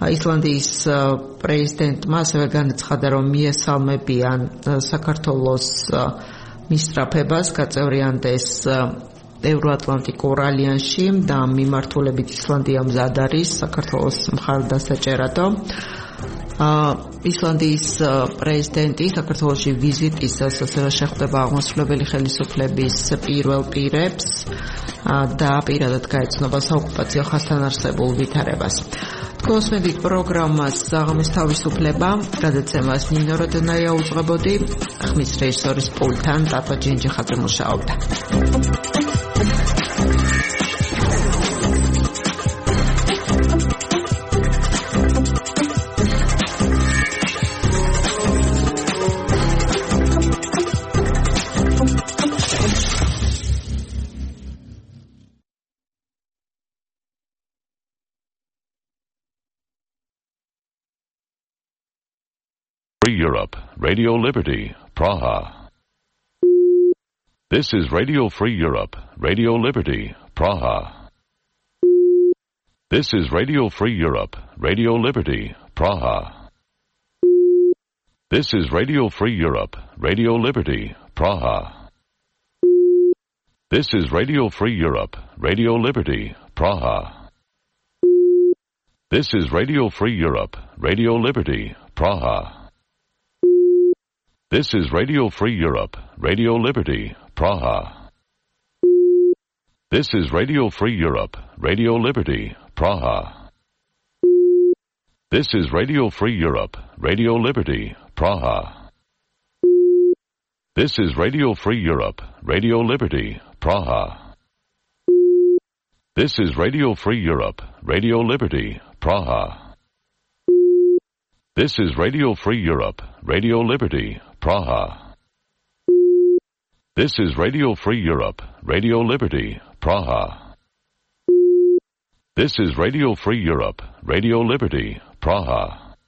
[SPEAKER 1] ისლანდიის პრეზიდენტმა ასევე განაცხადა, რომ მიესალმებიან საქართველოს მისწრაფებას გაწევრიანდეს ევროატლანტიკურ ალიანსში და მიმართულებით ისლანდია მზად არის საქართველოს მხარდასაჭერადო. ისლანდიის პრეზიდენტი საქართველოში ვიზიტისას ასევე შეხვდება აღმასრულებელი ხელისუფლების პირველ პირებს და პირადად გაეცნობა საოკუპაციო ხაზთან არსებულ ვითარებას. Კოსმეტიკ პროგრამას საღამოს თავისუფლება გადაცემას ნინო როდონაია უძღვებოდი, ხმის რეჟისორის პულტთან ტატო ჯინჯიხაძე მუშაობდა.
[SPEAKER 13] Free Europe, Radio Liberty, Praha. This is Radio Free Europe, Radio Liberty, Praha. This is Radio Free Europe, Radio Liberty, Praha. This is Radio Free Europe, Radio Liberty, Praha. This is Radio Free Europe, Radio Liberty, Praha. This is Radio Free Europe, Radio Liberty, Praha. This is Radio Free Europe, Radio Liberty, Praha. This is Radio Free Europe, Radio Liberty, Praha. This is Radio Free Europe, Radio Liberty, Praha. This is Radio Free Europe, Radio Liberty, Praha. This is Radio Free Europe, Radio Liberty, Praha. This is Radio Free Europe, Radio Liberty, Praha. This is Radio Free Europe, Radio Liberty, Praha.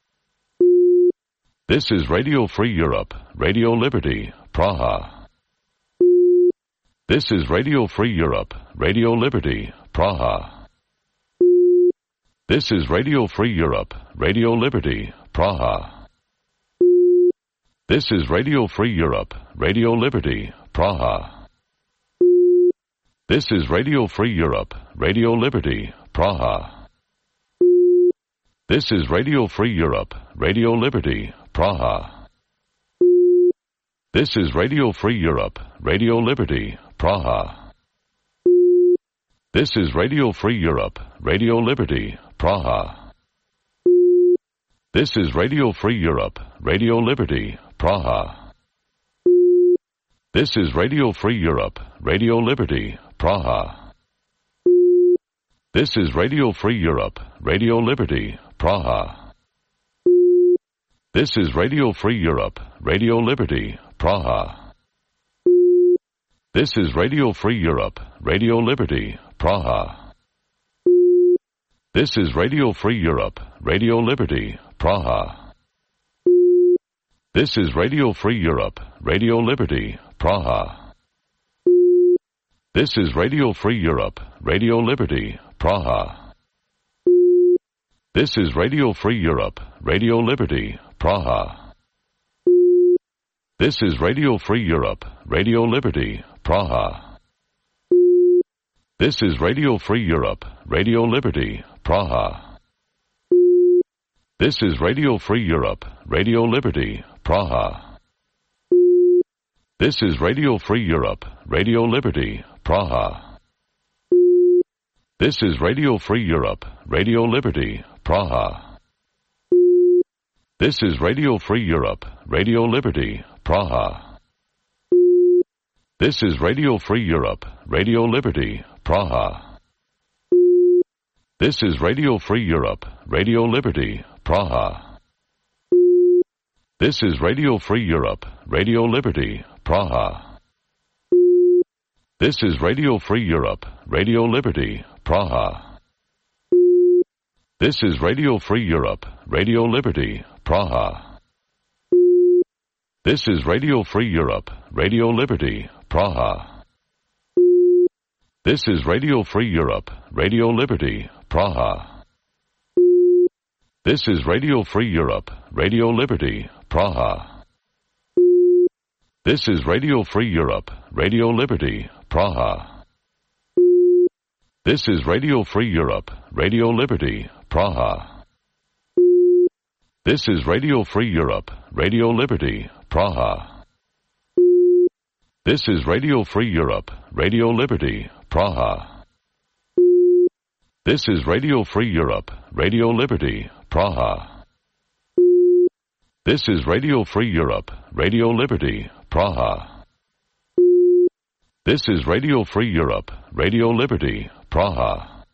[SPEAKER 13] This is Radio Free Europe, Radio Liberty, Praha. This is Radio Free Europe, Radio Liberty, Praha. This is Radio Free Europe, Radio Liberty, Praha. This is Radio Free Europe, Radio Liberty, Praha. This is Radio Free Europe, Radio Liberty, Praha. This is Radio Free Europe, Radio Liberty, Praha. This is Radio Free Europe, Radio Liberty, Praha. This is Radio Free Europe, Radio Liberty, Praha. This is Radio Free Europe, Radio Liberty, Praha. This is Radio Free Europe, Radio Liberty, Praha. This is Radio Free Europe, Radio Liberty, Praha. This is Radio Free Europe, Radio Liberty, Praha. This is Radio Free Europe, Radio Liberty, Praha. This is Radio Free Europe, Radio Liberty, Praha. This is Radio Free Europe, Radio Liberty, Praha. This is Radio Free Europe, Radio Liberty, Praha. This is Radio Free Europe, Radio Liberty, Praha. This is Radio Free Europe, Radio Liberty, Praha. This is Radio Free Europe, Radio Liberty, Praha. This is Radio Free Europe, Radio Liberty, Praha. This is Radio Free Europe, Radio Liberty, Praha. This is Radio Free Europe, Radio Liberty, Praha. This is Radio Free Europe, Radio Liberty, Praha. This is Radio Free Europe, Radio Liberty, Praha. This is Radio Free Europe, Radio Liberty, Praha. This is Radio Free Europe, Radio Liberty, Praha. This is Radio Free Europe, Radio Liberty, Praha. This is Radio Free Europe, Radio Liberty, Praha. This is Radio Free Europe, Radio Liberty, Praha. This is Radio Free Europe, Radio Liberty, Praha. This is Radio Free Europe, Radio Liberty, Praha. This is Radio Free Europe, Radio Liberty, Praha. This is Radio Free Europe, Radio Liberty, Praha. This is Radio Free Europe, Radio Liberty, Praha. This is Radio Free Europe, Radio Liberty, Praha. This is Radio Free Europe, Radio Liberty, Praha. This is Radio Free Europe, Radio Liberty, Praha. This is Radio Free Europe, Radio Liberty, Praha. This is Radio Free Europe, Radio Liberty, Praha.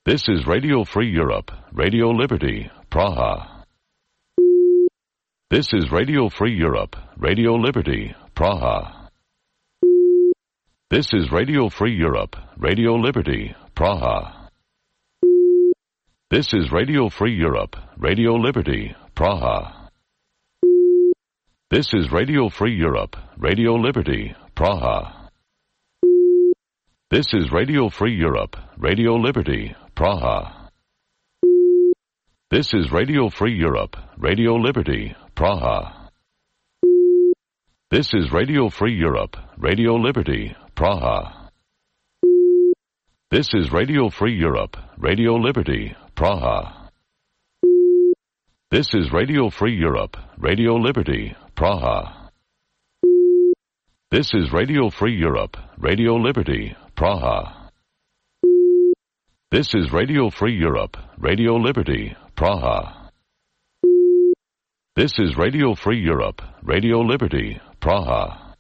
[SPEAKER 13] This is Radio Free Europe, Radio Liberty, Praha. This is Radio Free Europe, Radio Liberty, Praha. This is Radio Free Europe, Radio Liberty, Praha. This is Radio Free Europe, Radio Liberty, Praha. This is Radio Free Europe, Radio Liberty, Praha. This is Radio Free Europe, Radio Liberty, Praha. This is Radio Free Europe, Radio Liberty, Praha. This is Radio Free Europe, Radio Liberty, Praha. This is Radio Free Europe, Radio Liberty, Praha. This is Radio Free Europe, Radio Liberty, Praha. This is Radio Free Europe, Radio Liberty, Praha. This is Radio Free Europe, Radio Liberty, Praha. This is Radio Free Europe, Radio Liberty, Praha.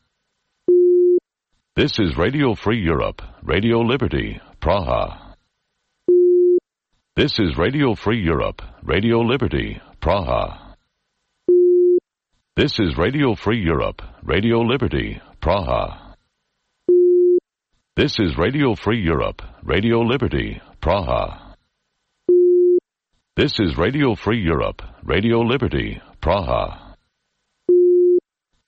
[SPEAKER 13] This is Radio Free Europe, Radio Liberty, Praha. This is Radio Free Europe, Radio Liberty, Praha. This is Radio Free Europe, Radio Liberty, Praha. This is Radio Free Europe, Radio Liberty, Praha. This is Radio Free Europe, Radio Liberty, Praha.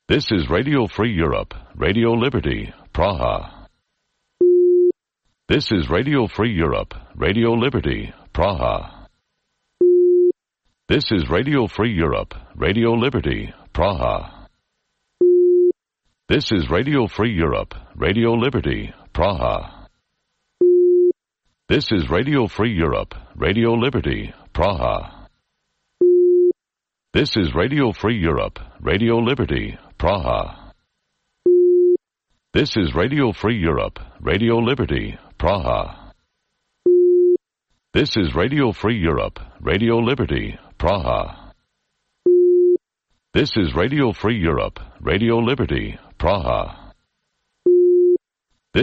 [SPEAKER 13] This is Radio Free Europe, Radio Liberty, Praha. This is Radio Free Europe, Radio Liberty, Praha. This is Radio Free Europe, Radio Liberty, Praha. This is Radio Free Europe, Radio Liberty, Praha. This is Radio Free Europe, Radio Liberty, Praha. This is Radio Free Europe, Radio Liberty, Praha. This is Radio Free Europe, Radio Liberty, Praha. This is Radio Free Europe, Radio Liberty, Praha. This is Radio Free Europe, Radio Liberty, Praha.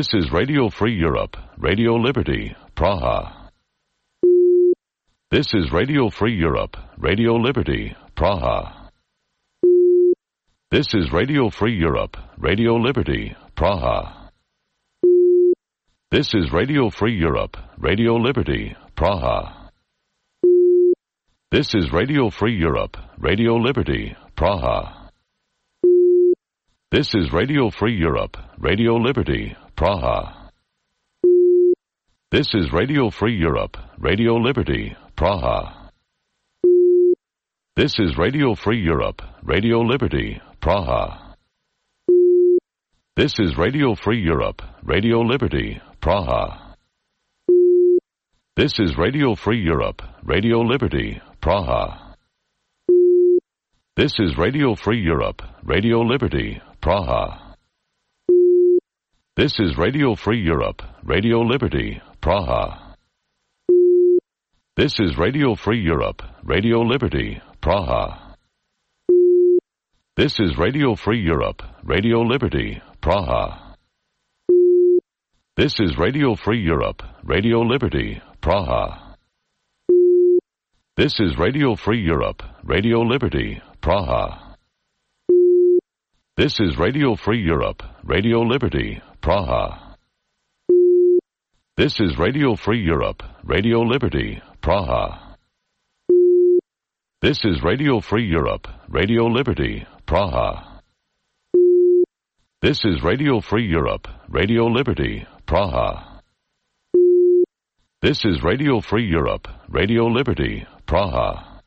[SPEAKER 13] This is Radio Free Europe, Radio Liberty, Praha. This is Radio Free Europe, Radio Liberty, Praha. This is Radio Free Europe, Radio Liberty, Praha. This is Radio Free Europe, Radio Liberty, Praha. This is Radio Free Europe, Radio Liberty, Praha. This is Radio Free Europe, Radio Liberty, Praha. This is Radio Free Europe, Radio Liberty, Praha. This is Radio Free Europe, Radio Liberty, Praha. This is Radio Free Europe, Radio Liberty, Praha. This is Radio Free Europe, Radio Liberty, Praha. This is Radio Free Europe, Radio Liberty, Praha. This is Radio Free Europe, Radio Liberty, Praha. This is Radio Free Europe, Radio Liberty, Praha. This is Radio Free Europe, Radio Liberty, Praha. This is Radio Free Europe, Radio Liberty, Praha. This is Radio Free Europe, Radio Liberty, Praha. This is Radio Free Europe, Radio Liberty, Praha. This is Radio Free Europe, Radio Liberty, Praha. This is Radio Free Europe, Radio Liberty, Praha. This is Radio Free Europe, Radio Liberty, Praha. This is Radio Free Europe, Radio Liberty, Praha.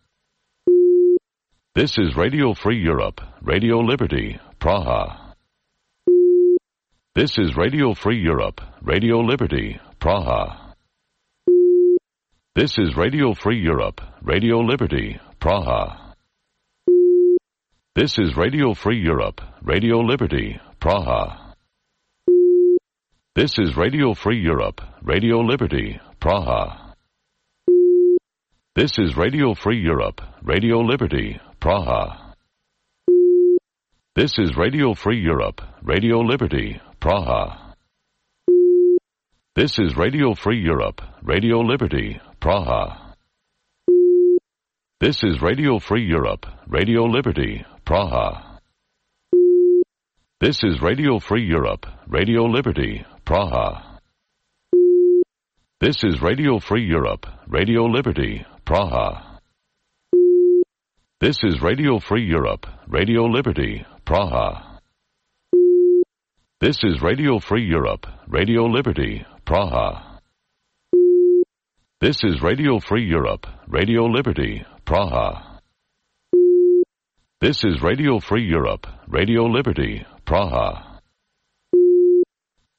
[SPEAKER 13] This is Radio Free Europe, Radio Liberty, Praha. This is Radio Free Europe, Radio Liberty, Praha. This is Radio Free Europe, Radio Liberty, Praha. This is Radio Free Europe, Radio Liberty, Praha. This is Radio Free Europe, Radio Liberty, Praha. This is Radio Free Europe, Radio Liberty, Praha. This is Radio Free Europe, Radio Liberty, Praha. This is Radio Free Europe, Radio Liberty, Praha. This is Radio Free Europe, Radio Liberty, Praha. This is Radio Free Europe, Radio Liberty, Praha. This is Radio Free Europe, Radio Liberty, Praha. This is Radio Free Europe, Radio Liberty, Praha. This is Radio Free Europe, Radio Liberty, Praha. This is Radio Free Europe, Radio Liberty, Praha. This is Radio Free Europe, Radio Liberty, Praha.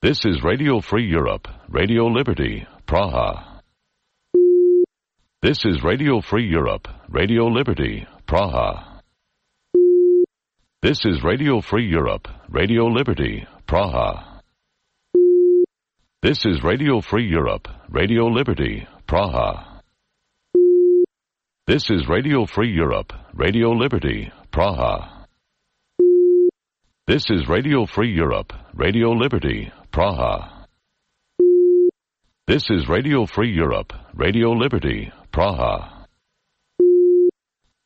[SPEAKER 13] This is Radio Free Europe, Radio Liberty, Praha. This is Radio Free Europe, Radio Liberty, Praha. This is Radio Free Europe, Radio Liberty, Praha. This is Radio Free Europe, Radio Liberty, Praha. This is Radio Free Europe, Radio Liberty, Praha. This is Radio Free Europe, Radio Liberty, Praha. This is Radio Free Europe, Radio Liberty, Praha.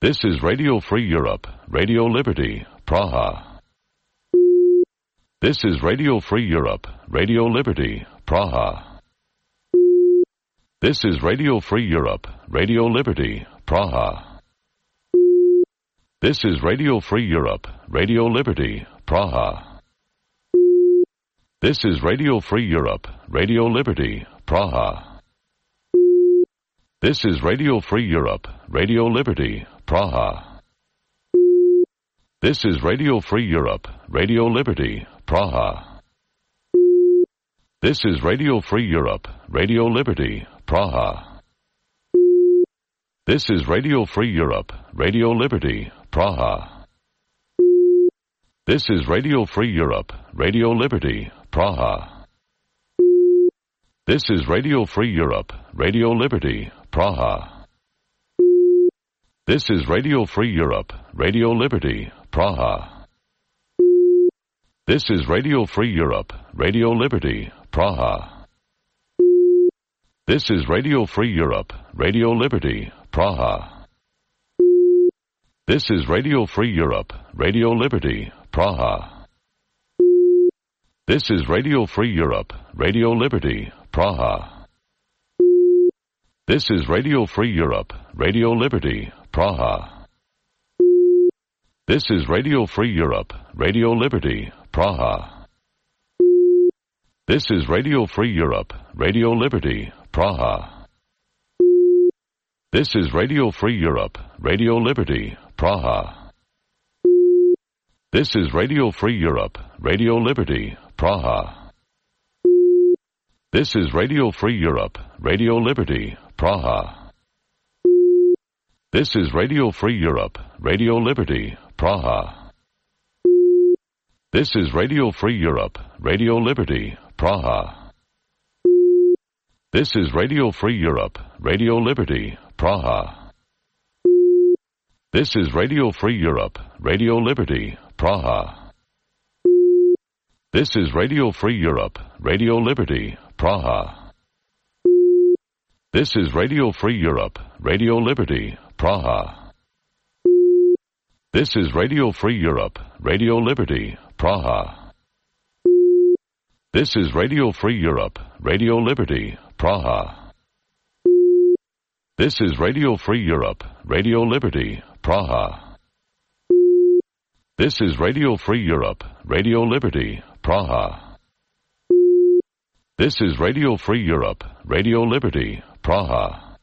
[SPEAKER 13] This is Radio Free Europe, Radio Liberty, Praha. This is Radio Free Europe, Radio Liberty, Praha. This is Radio Free Europe, Radio Liberty, Praha. This is Radio Free Europe, Radio Liberty, Praha. This is Radio Free Europe, Radio Liberty, Praha. This is Radio Free Europe, Radio Liberty, Praha. This is Radio Free Europe, Radio Liberty, Praha. This is Radio Free Europe, Radio Liberty, Praha. This is Radio Free Europe, Radio Liberty, Praha. This is Radio Free Europe, Radio Liberty, Praha. This is Radio Free Europe, Radio Liberty, Praha. This is Radio Free Europe, Radio Liberty, Praha. This is Radio Free Europe, Radio Liberty, Praha. This is Radio Free Europe, Radio Liberty, Praha. This is Radio Free Europe, Radio Liberty, Praha. This is Radio Free Europe, Radio Liberty, Praha. This is Radio Free Europe, Radio Liberty, Praha. This is Radio Free Europe, Radio Liberty, Praha. This is Radio Free Europe, Radio Liberty, Praha. This is Radio Free Europe, Radio Liberty, Praha. This is Radio Free Europe, Radio Liberty, Praha. This is Radio Free Europe, Radio Liberty, Praha. This is Radio Free Europe, Radio Liberty, Praha. This is Radio Free Europe, Radio Liberty, Praha. This is Radio Free Europe, Radio Liberty, Praha. This is Radio Free Europe, Radio Liberty, Praha. This is Radio Free Europe, Radio Liberty, Praha. This is Radio Free Europe, Radio Liberty, Praha. This is Radio Free Europe, Radio Liberty, Praha. This is Radio Free Europe, Radio Liberty, Praha. This is Radio Free Europe, Radio Liberty, Praha. This is Radio Free Europe, Radio Liberty, Praha. This is Radio Free Europe, Radio Liberty, Praha.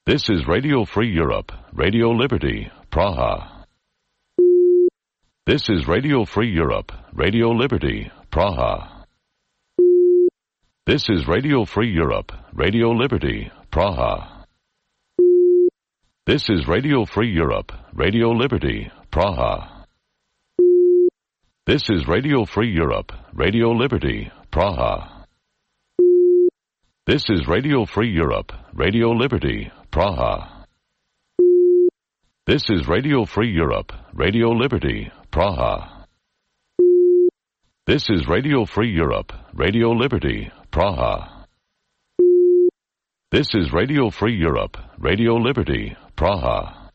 [SPEAKER 13] This is Radio Free Europe, Radio Liberty, Praha. This is Radio Free Europe, Radio Liberty, Praha. This is Radio Free Europe, Radio Liberty, Praha. This is Radio Free Europe, Radio Liberty, Praha. This is Radio Free Europe, Radio Liberty, Praha. This is Radio Free Europe, Radio Liberty, Praha. This is Radio Free Europe, Radio Liberty, Praha. This is Radio Free Europe, Radio Liberty, Praha. This is Radio Free Europe, Radio Liberty, Praha.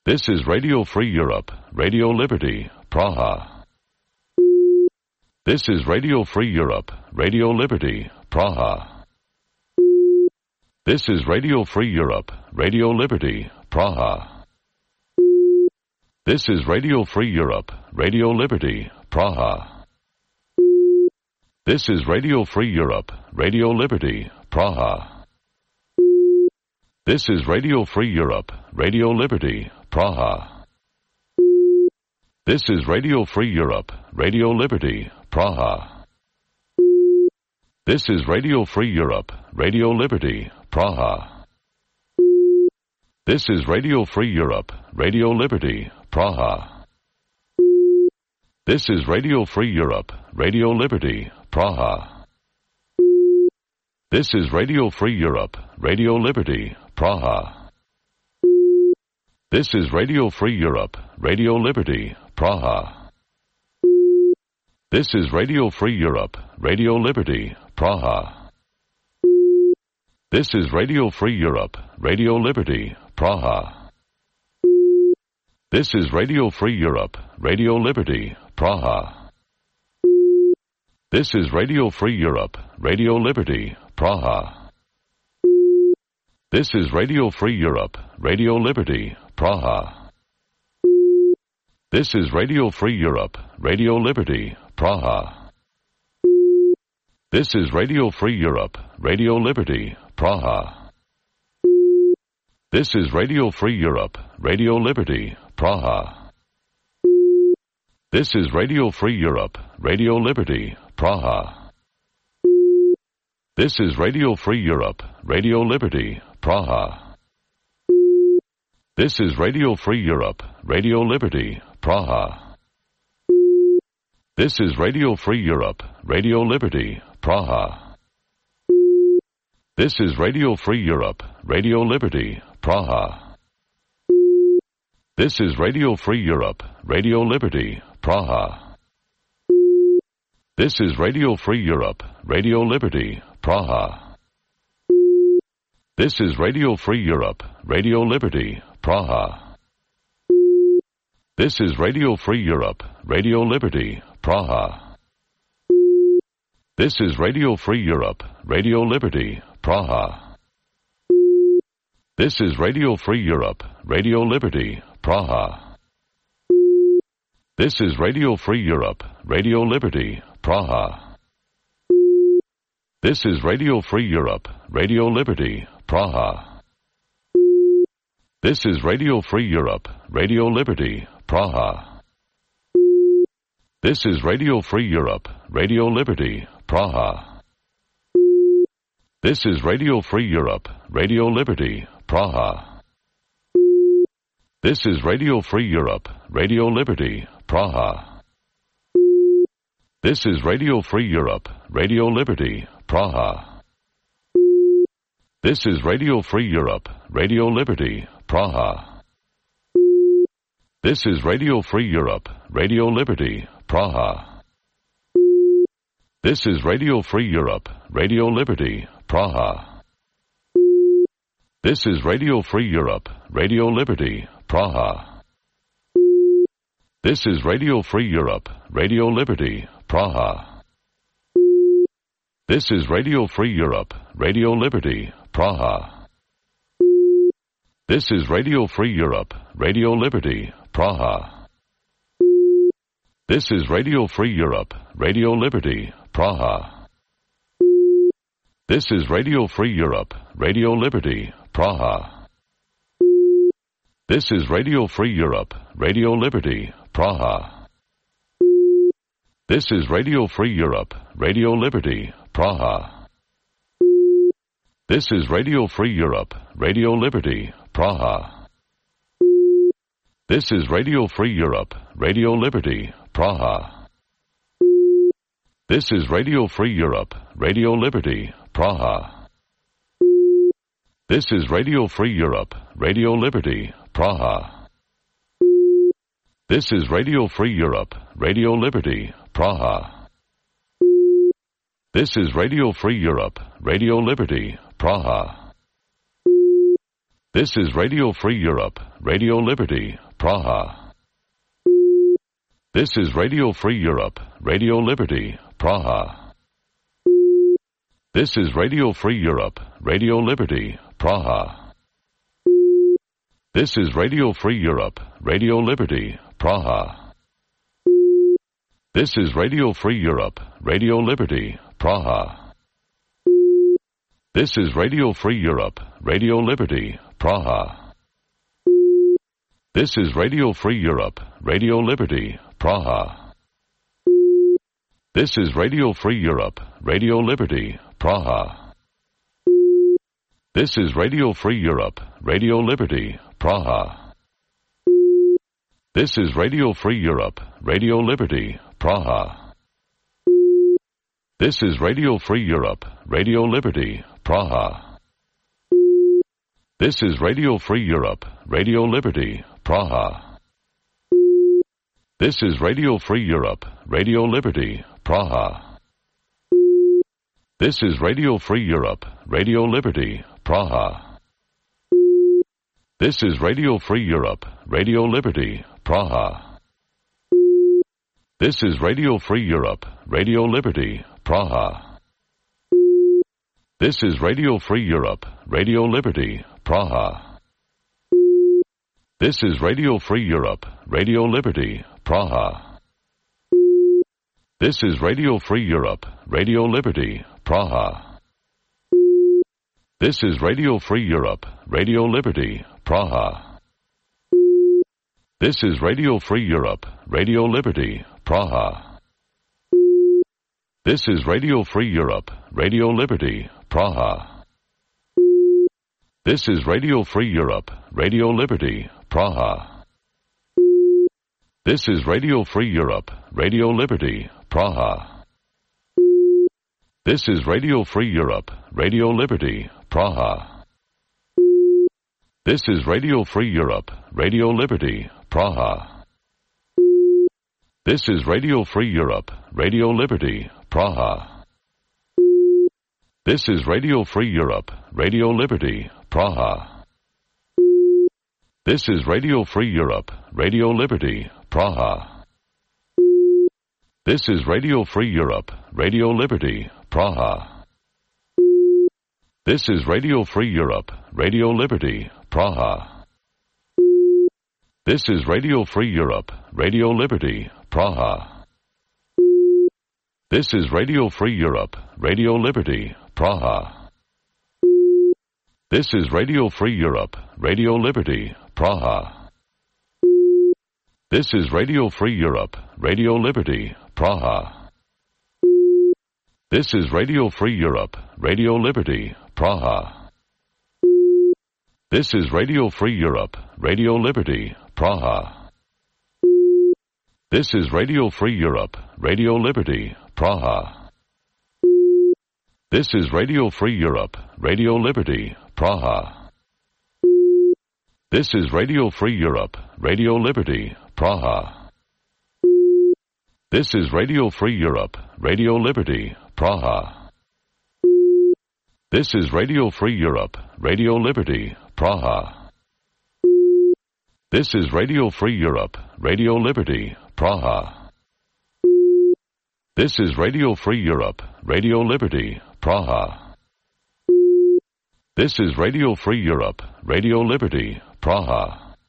[SPEAKER 13] This is Radio Free Europe, Radio Liberty, Praha. This is Radio Free Europe, Radio Liberty, Praha. This is Radio Free Europe, Radio Liberty, Praha. This is Radio Free Europe, Radio Liberty, Praha. This is Radio Free Europe, Radio Liberty, Praha. This is Radio Free Europe, Radio Liberty, Praha. This is Radio Free Europe, Radio Liberty, Praha. This is Radio Free Europe, Radio Liberty, Praha. This is Radio Free Europe, Radio Liberty, Praha. This is Radio Free Europe, Radio Liberty, Praha. This is Radio Free Europe, Radio Liberty, Praha. This is Radio Free Europe, Radio Liberty, Praha. This is Radio Free Europe, Radio Liberty, Praha. This is Radio Free Europe, Radio Liberty, Praha. This is Radio Free Europe, Radio Liberty, Praha. This is Radio Free Europe, Radio Liberty, Praha. This is Radio Free Europe, Radio Liberty, Praha. This is Radio Free Europe, Radio Liberty, Praha. This is Radio Free Europe, Radio Liberty, Praha. This is Radio Free Europe, Radio Liberty, Praha. This is Radio Free Europe, Radio Liberty, Praha. This is Radio Free Europe, Radio Liberty, Praha. This is Radio Free Europe, Radio Liberty, Praha. This is Radio Free Europe, Radio Liberty, Praha. This is Radio Free Europe, Radio Liberty, Praha. This is Radio Free Europe, Radio Liberty, Praha. This is Radio Free Europe, Radio Liberty, Praha. This is Radio Free Europe, Radio Liberty, Praha. This is Radio Free Europe, Radio Liberty, Praha. This is Radio Free Europe, Radio Liberty, Praha. This is Radio Free Europe, Radio Liberty, Praha. This is Radio Free Europe, Radio Liberty, Praha. This is Radio Free Europe, Radio Liberty, Praha. This is Radio Free Europe, Radio Liberty, Praha. This is Radio Free Europe, Radio Liberty, Praha. This is Radio Free Europe, Radio Liberty, Praha. This is Radio Free Europe, Radio Liberty, Praha. This is Radio Free Europe, Radio Liberty, Praha. This is Radio Free Europe, Radio Liberty, Praha. This is Radio Free Europe, Radio Liberty, Praha. This is Radio Free Europe, Radio Liberty, Praha. This is Radio Free Europe, Radio Liberty, Praha. This is Radio Free Europe, Radio Liberty, Praha. This is Radio Free Europe, Radio Liberty, Praha. This is Radio Free Europe, Radio Liberty, Praha. This is Radio Free Europe, Radio Liberty, Praha. This is Radio Free Europe, Radio Liberty, Praha. This is Radio Free Europe, Radio Liberty, Praha. This is Radio Free Europe, Radio Liberty, Praha. This is Radio Free Europe, Radio Liberty, Praha. This is Radio Free Europe, Radio Liberty, Praha. This is Radio Free Europe, Radio Liberty, Praha. This is Radio Free Europe, Radio Liberty, Praha. This is Radio Free Europe, Radio Liberty, Praha. This is Radio Free Europe, Radio Liberty, Praha. This is Radio Free Europe, Radio Liberty, Praha. This is Radio Free Europe, Radio Liberty, Praha. This is Radio Free Europe, Radio Liberty, Praha. This is Radio Free Europe, Radio Liberty, Praha. This is Radio Free Europe, Radio Liberty, Praha. This is Radio Free Europe, Radio Liberty, Praha. This is Radio Free Europe, Radio Liberty, Praha. This is Radio Free Europe, Radio Liberty, Praha. This is Radio Free Europe, Radio Liberty, Praha. This is Radio Free Europe, Radio Liberty, Praha. This is Radio Free Europe, Radio Liberty, Praha. This is Radio Free Europe, Radio Liberty, Praha. This is Radio Free Europe, Radio Liberty, Praha. This is Radio Free Europe, Radio Liberty, Praha. This is Radio Free Europe, Radio Liberty, Praha. This is Radio Free Europe, Radio Liberty, Praha. This is Radio Free Europe, Radio Liberty, Praha. This is Radio Free Europe, Radio Liberty, Praha. This is Radio Free Europe, Radio Liberty, Praha. This is Radio Free Europe, Radio Liberty, Praha. This is Radio Free Europe, Radio Liberty, Praha. This is Radio Free Europe, Radio Liberty, Praha. This is Radio Free Europe, Radio Liberty, Praha. This is Radio Free Europe, Radio Liberty, Praha. This is Radio Free Europe, Radio Liberty, Praha. This is Radio Free Europe, Radio Liberty, Praha. This is Radio Free Europe, Radio Liberty, Praha. This is Radio Free Europe, Radio Liberty, Praha. This is Radio Free Europe, Radio Liberty, Praha. This is Radio Free Europe, Radio Liberty, Praha. This is Radio Free Europe, Radio Liberty, Praha. This is Radio Free Europe, Radio Liberty, Praha. This is Radio Free Europe, Radio Liberty, Praha. This is Radio Free Europe, Radio Liberty, Praha. This is Radio Free Europe, Radio Liberty, Praha. This is Radio Free Europe, Radio Liberty, Praha. This is Radio Free Europe, Radio Liberty, Praha. This is Radio Free Europe, Radio Liberty, Praha. This is Radio Free Europe, Radio Liberty, Praha. This is Radio Free Europe, Radio Liberty, Praha. This is Radio Free Europe, Radio Liberty, Praha. This is Radio Free Europe, Radio Liberty, Praha. This is Radio Free Europe, Radio Liberty, Praha. This is Radio Free Europe, Radio Liberty, Praha. This is Radio Free Europe, Radio Liberty, Praha.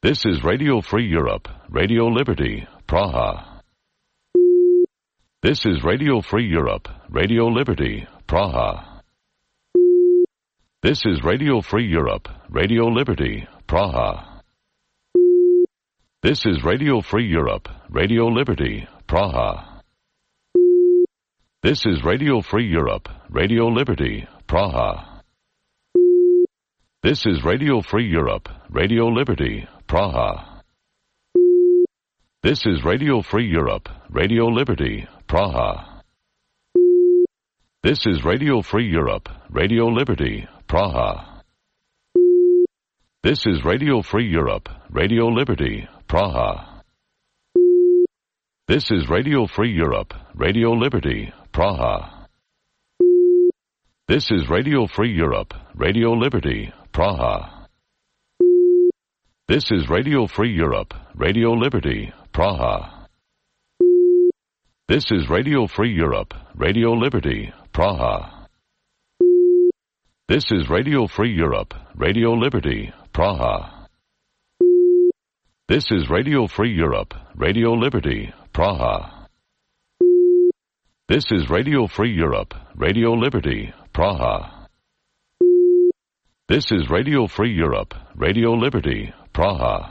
[SPEAKER 13] This is Radio Free Europe, Radio Liberty, Praha. This is Radio Free Europe, Radio Liberty, Praha. This is Radio Free Europe, Radio Liberty, Praha. This is Radio Free Europe, Radio Liberty, Praha. This is Radio Free Europe, Radio Liberty, Praha. This is Radio Free Europe, Radio Liberty, Praha. This is Radio Free Europe, Radio Liberty, Praha. This is Radio Free Europe, Radio Liberty, Praha. This is Radio Free Europe, Radio Liberty, Praha. This is Radio Free Europe, Radio Liberty, Praha. This is Radio Free Europe, Radio Liberty, Praha. This is Radio Free Europe, Radio Liberty, Praha. This is Radio Free Europe, Radio Liberty, Praha. This is Radio Free Europe, Radio Liberty, Praha. This is Radio Free Europe, Radio Liberty, Praha. This is Radio Free Europe, Radio Liberty, Praha. This is Radio Free Europe, Radio Liberty, Praha.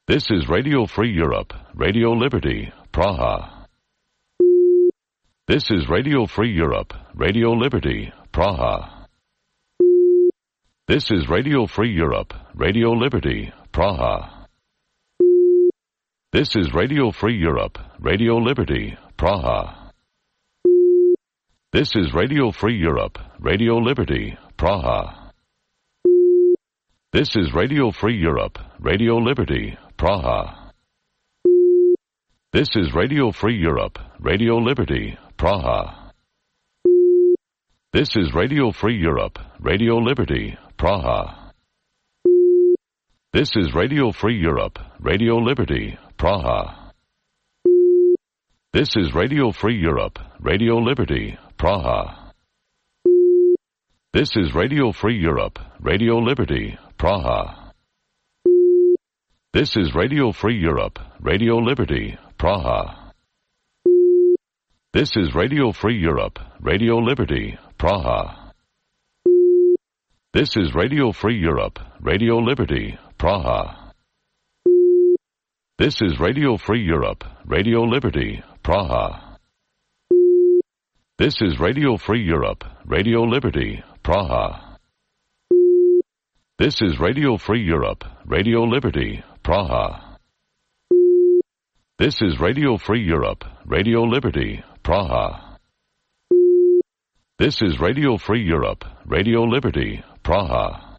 [SPEAKER 13] This is Radio Free Europe, Radio Liberty, Praha. This is Radio Free Europe, Radio Liberty, Praha. This is Radio Free Europe, Radio Liberty, Praha. This is Radio Free Europe, Radio Liberty, Praha. This is Radio Free Europe, Radio Liberty, Praha. This is Radio Free Europe, Radio Liberty, Praha. This is Radio Free Europe, Radio Liberty, Praha. This is Radio Free Europe, Radio Liberty, Praha. This is Radio Free Europe, Radio Liberty, Praha. This is Radio Free Europe, Radio Liberty, Praha. This is Radio Free Europe, Radio Liberty, Praha. This is Radio Free Europe, Radio Liberty, Praha. This is Radio Free Europe, Radio Liberty, Praha. This is Radio Free Europe, Radio Liberty, Praha. This is Radio Free Europe, Radio Liberty, Praha. This is Radio Free Europe, Radio Liberty, Praha. This is Radio Free Europe, Radio Liberty, Praha. This is Radio Free Europe, Radio Liberty, Praha. This is Radio Free Europe, Radio Liberty, Praha.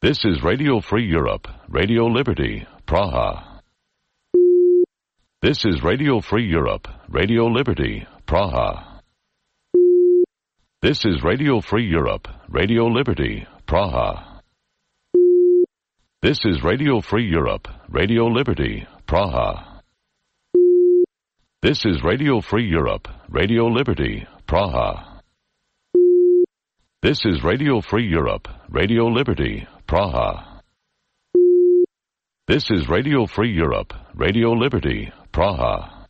[SPEAKER 13] This is Radio Free Europe, Radio Liberty, Praha. This is Radio Free Europe, Radio Liberty, Praha. This is Radio Free Europe, Radio Liberty, Praha. This is Radio Free Europe, Radio Liberty, Praha. This is Radio Free Europe, Radio Liberty, Praha. This is Radio Free Europe, Radio Liberty, Praha. This is Radio Free Europe, Radio Liberty, Praha.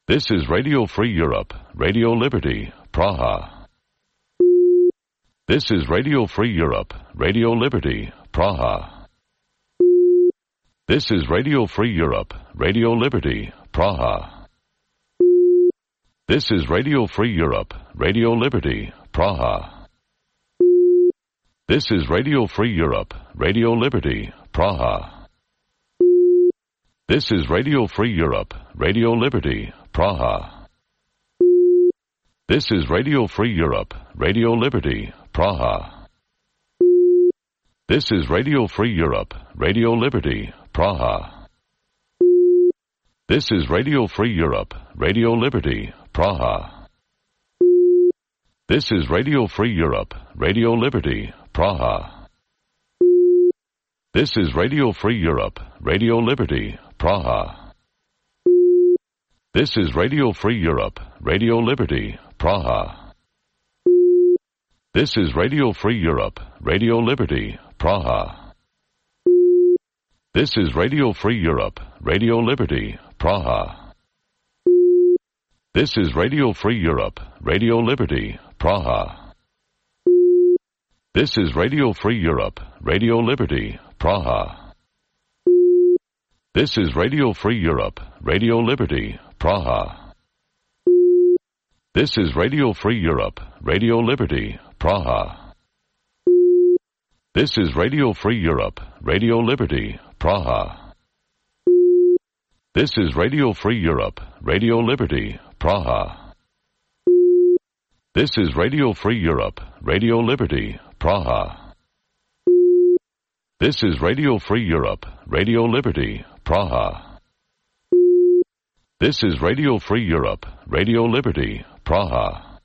[SPEAKER 13] This is Radio Free Europe, Radio Liberty, Praha. This is Radio Free Europe, Radio Liberty, Praha. This is Radio Free Europe, Radio Liberty, Praha. This is Radio Free Europe, Radio Liberty, Praha. This is Radio Free Europe, Radio Liberty, Praha. This is Radio Free Europe, Radio Liberty, Praha. This is Radio Free Europe, Radio Liberty, Praha. This is Radio Free Europe, Radio Liberty, Praha. This is Radio Free Europe, Radio Liberty, Praha. This is Radio Free Europe, Radio Liberty, Praha. This is Radio Free Europe, Radio Liberty, Praha. This is Radio Free Europe, Radio Liberty, Praha. This is Radio Free Europe, Radio Liberty, Praha. This is Radio Free Europe, Radio Liberty, Praha. This is Radio Free Europe, Radio Liberty, Praha. This is Radio Free Europe, Radio Liberty, Praha. This is Radio Free Europe, Radio Liberty, Praha. This is Radio Free Europe, Radio Liberty, Praha. This is Radio Free Europe, Radio Liberty, Praha. This is Radio Free Europe, Radio Liberty, Praha. This is Radio Free Europe, Radio Liberty, Praha. This is Radio Free Europe, Radio Liberty, Praha. This is Radio Free Europe, Radio Liberty, Praha.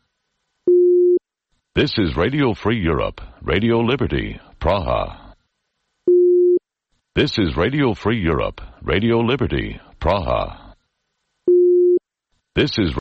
[SPEAKER 13] This is Radio Free Europe, Radio Liberty, Praha. This is Radio Free Europe, Radio Liberty, Praha. This is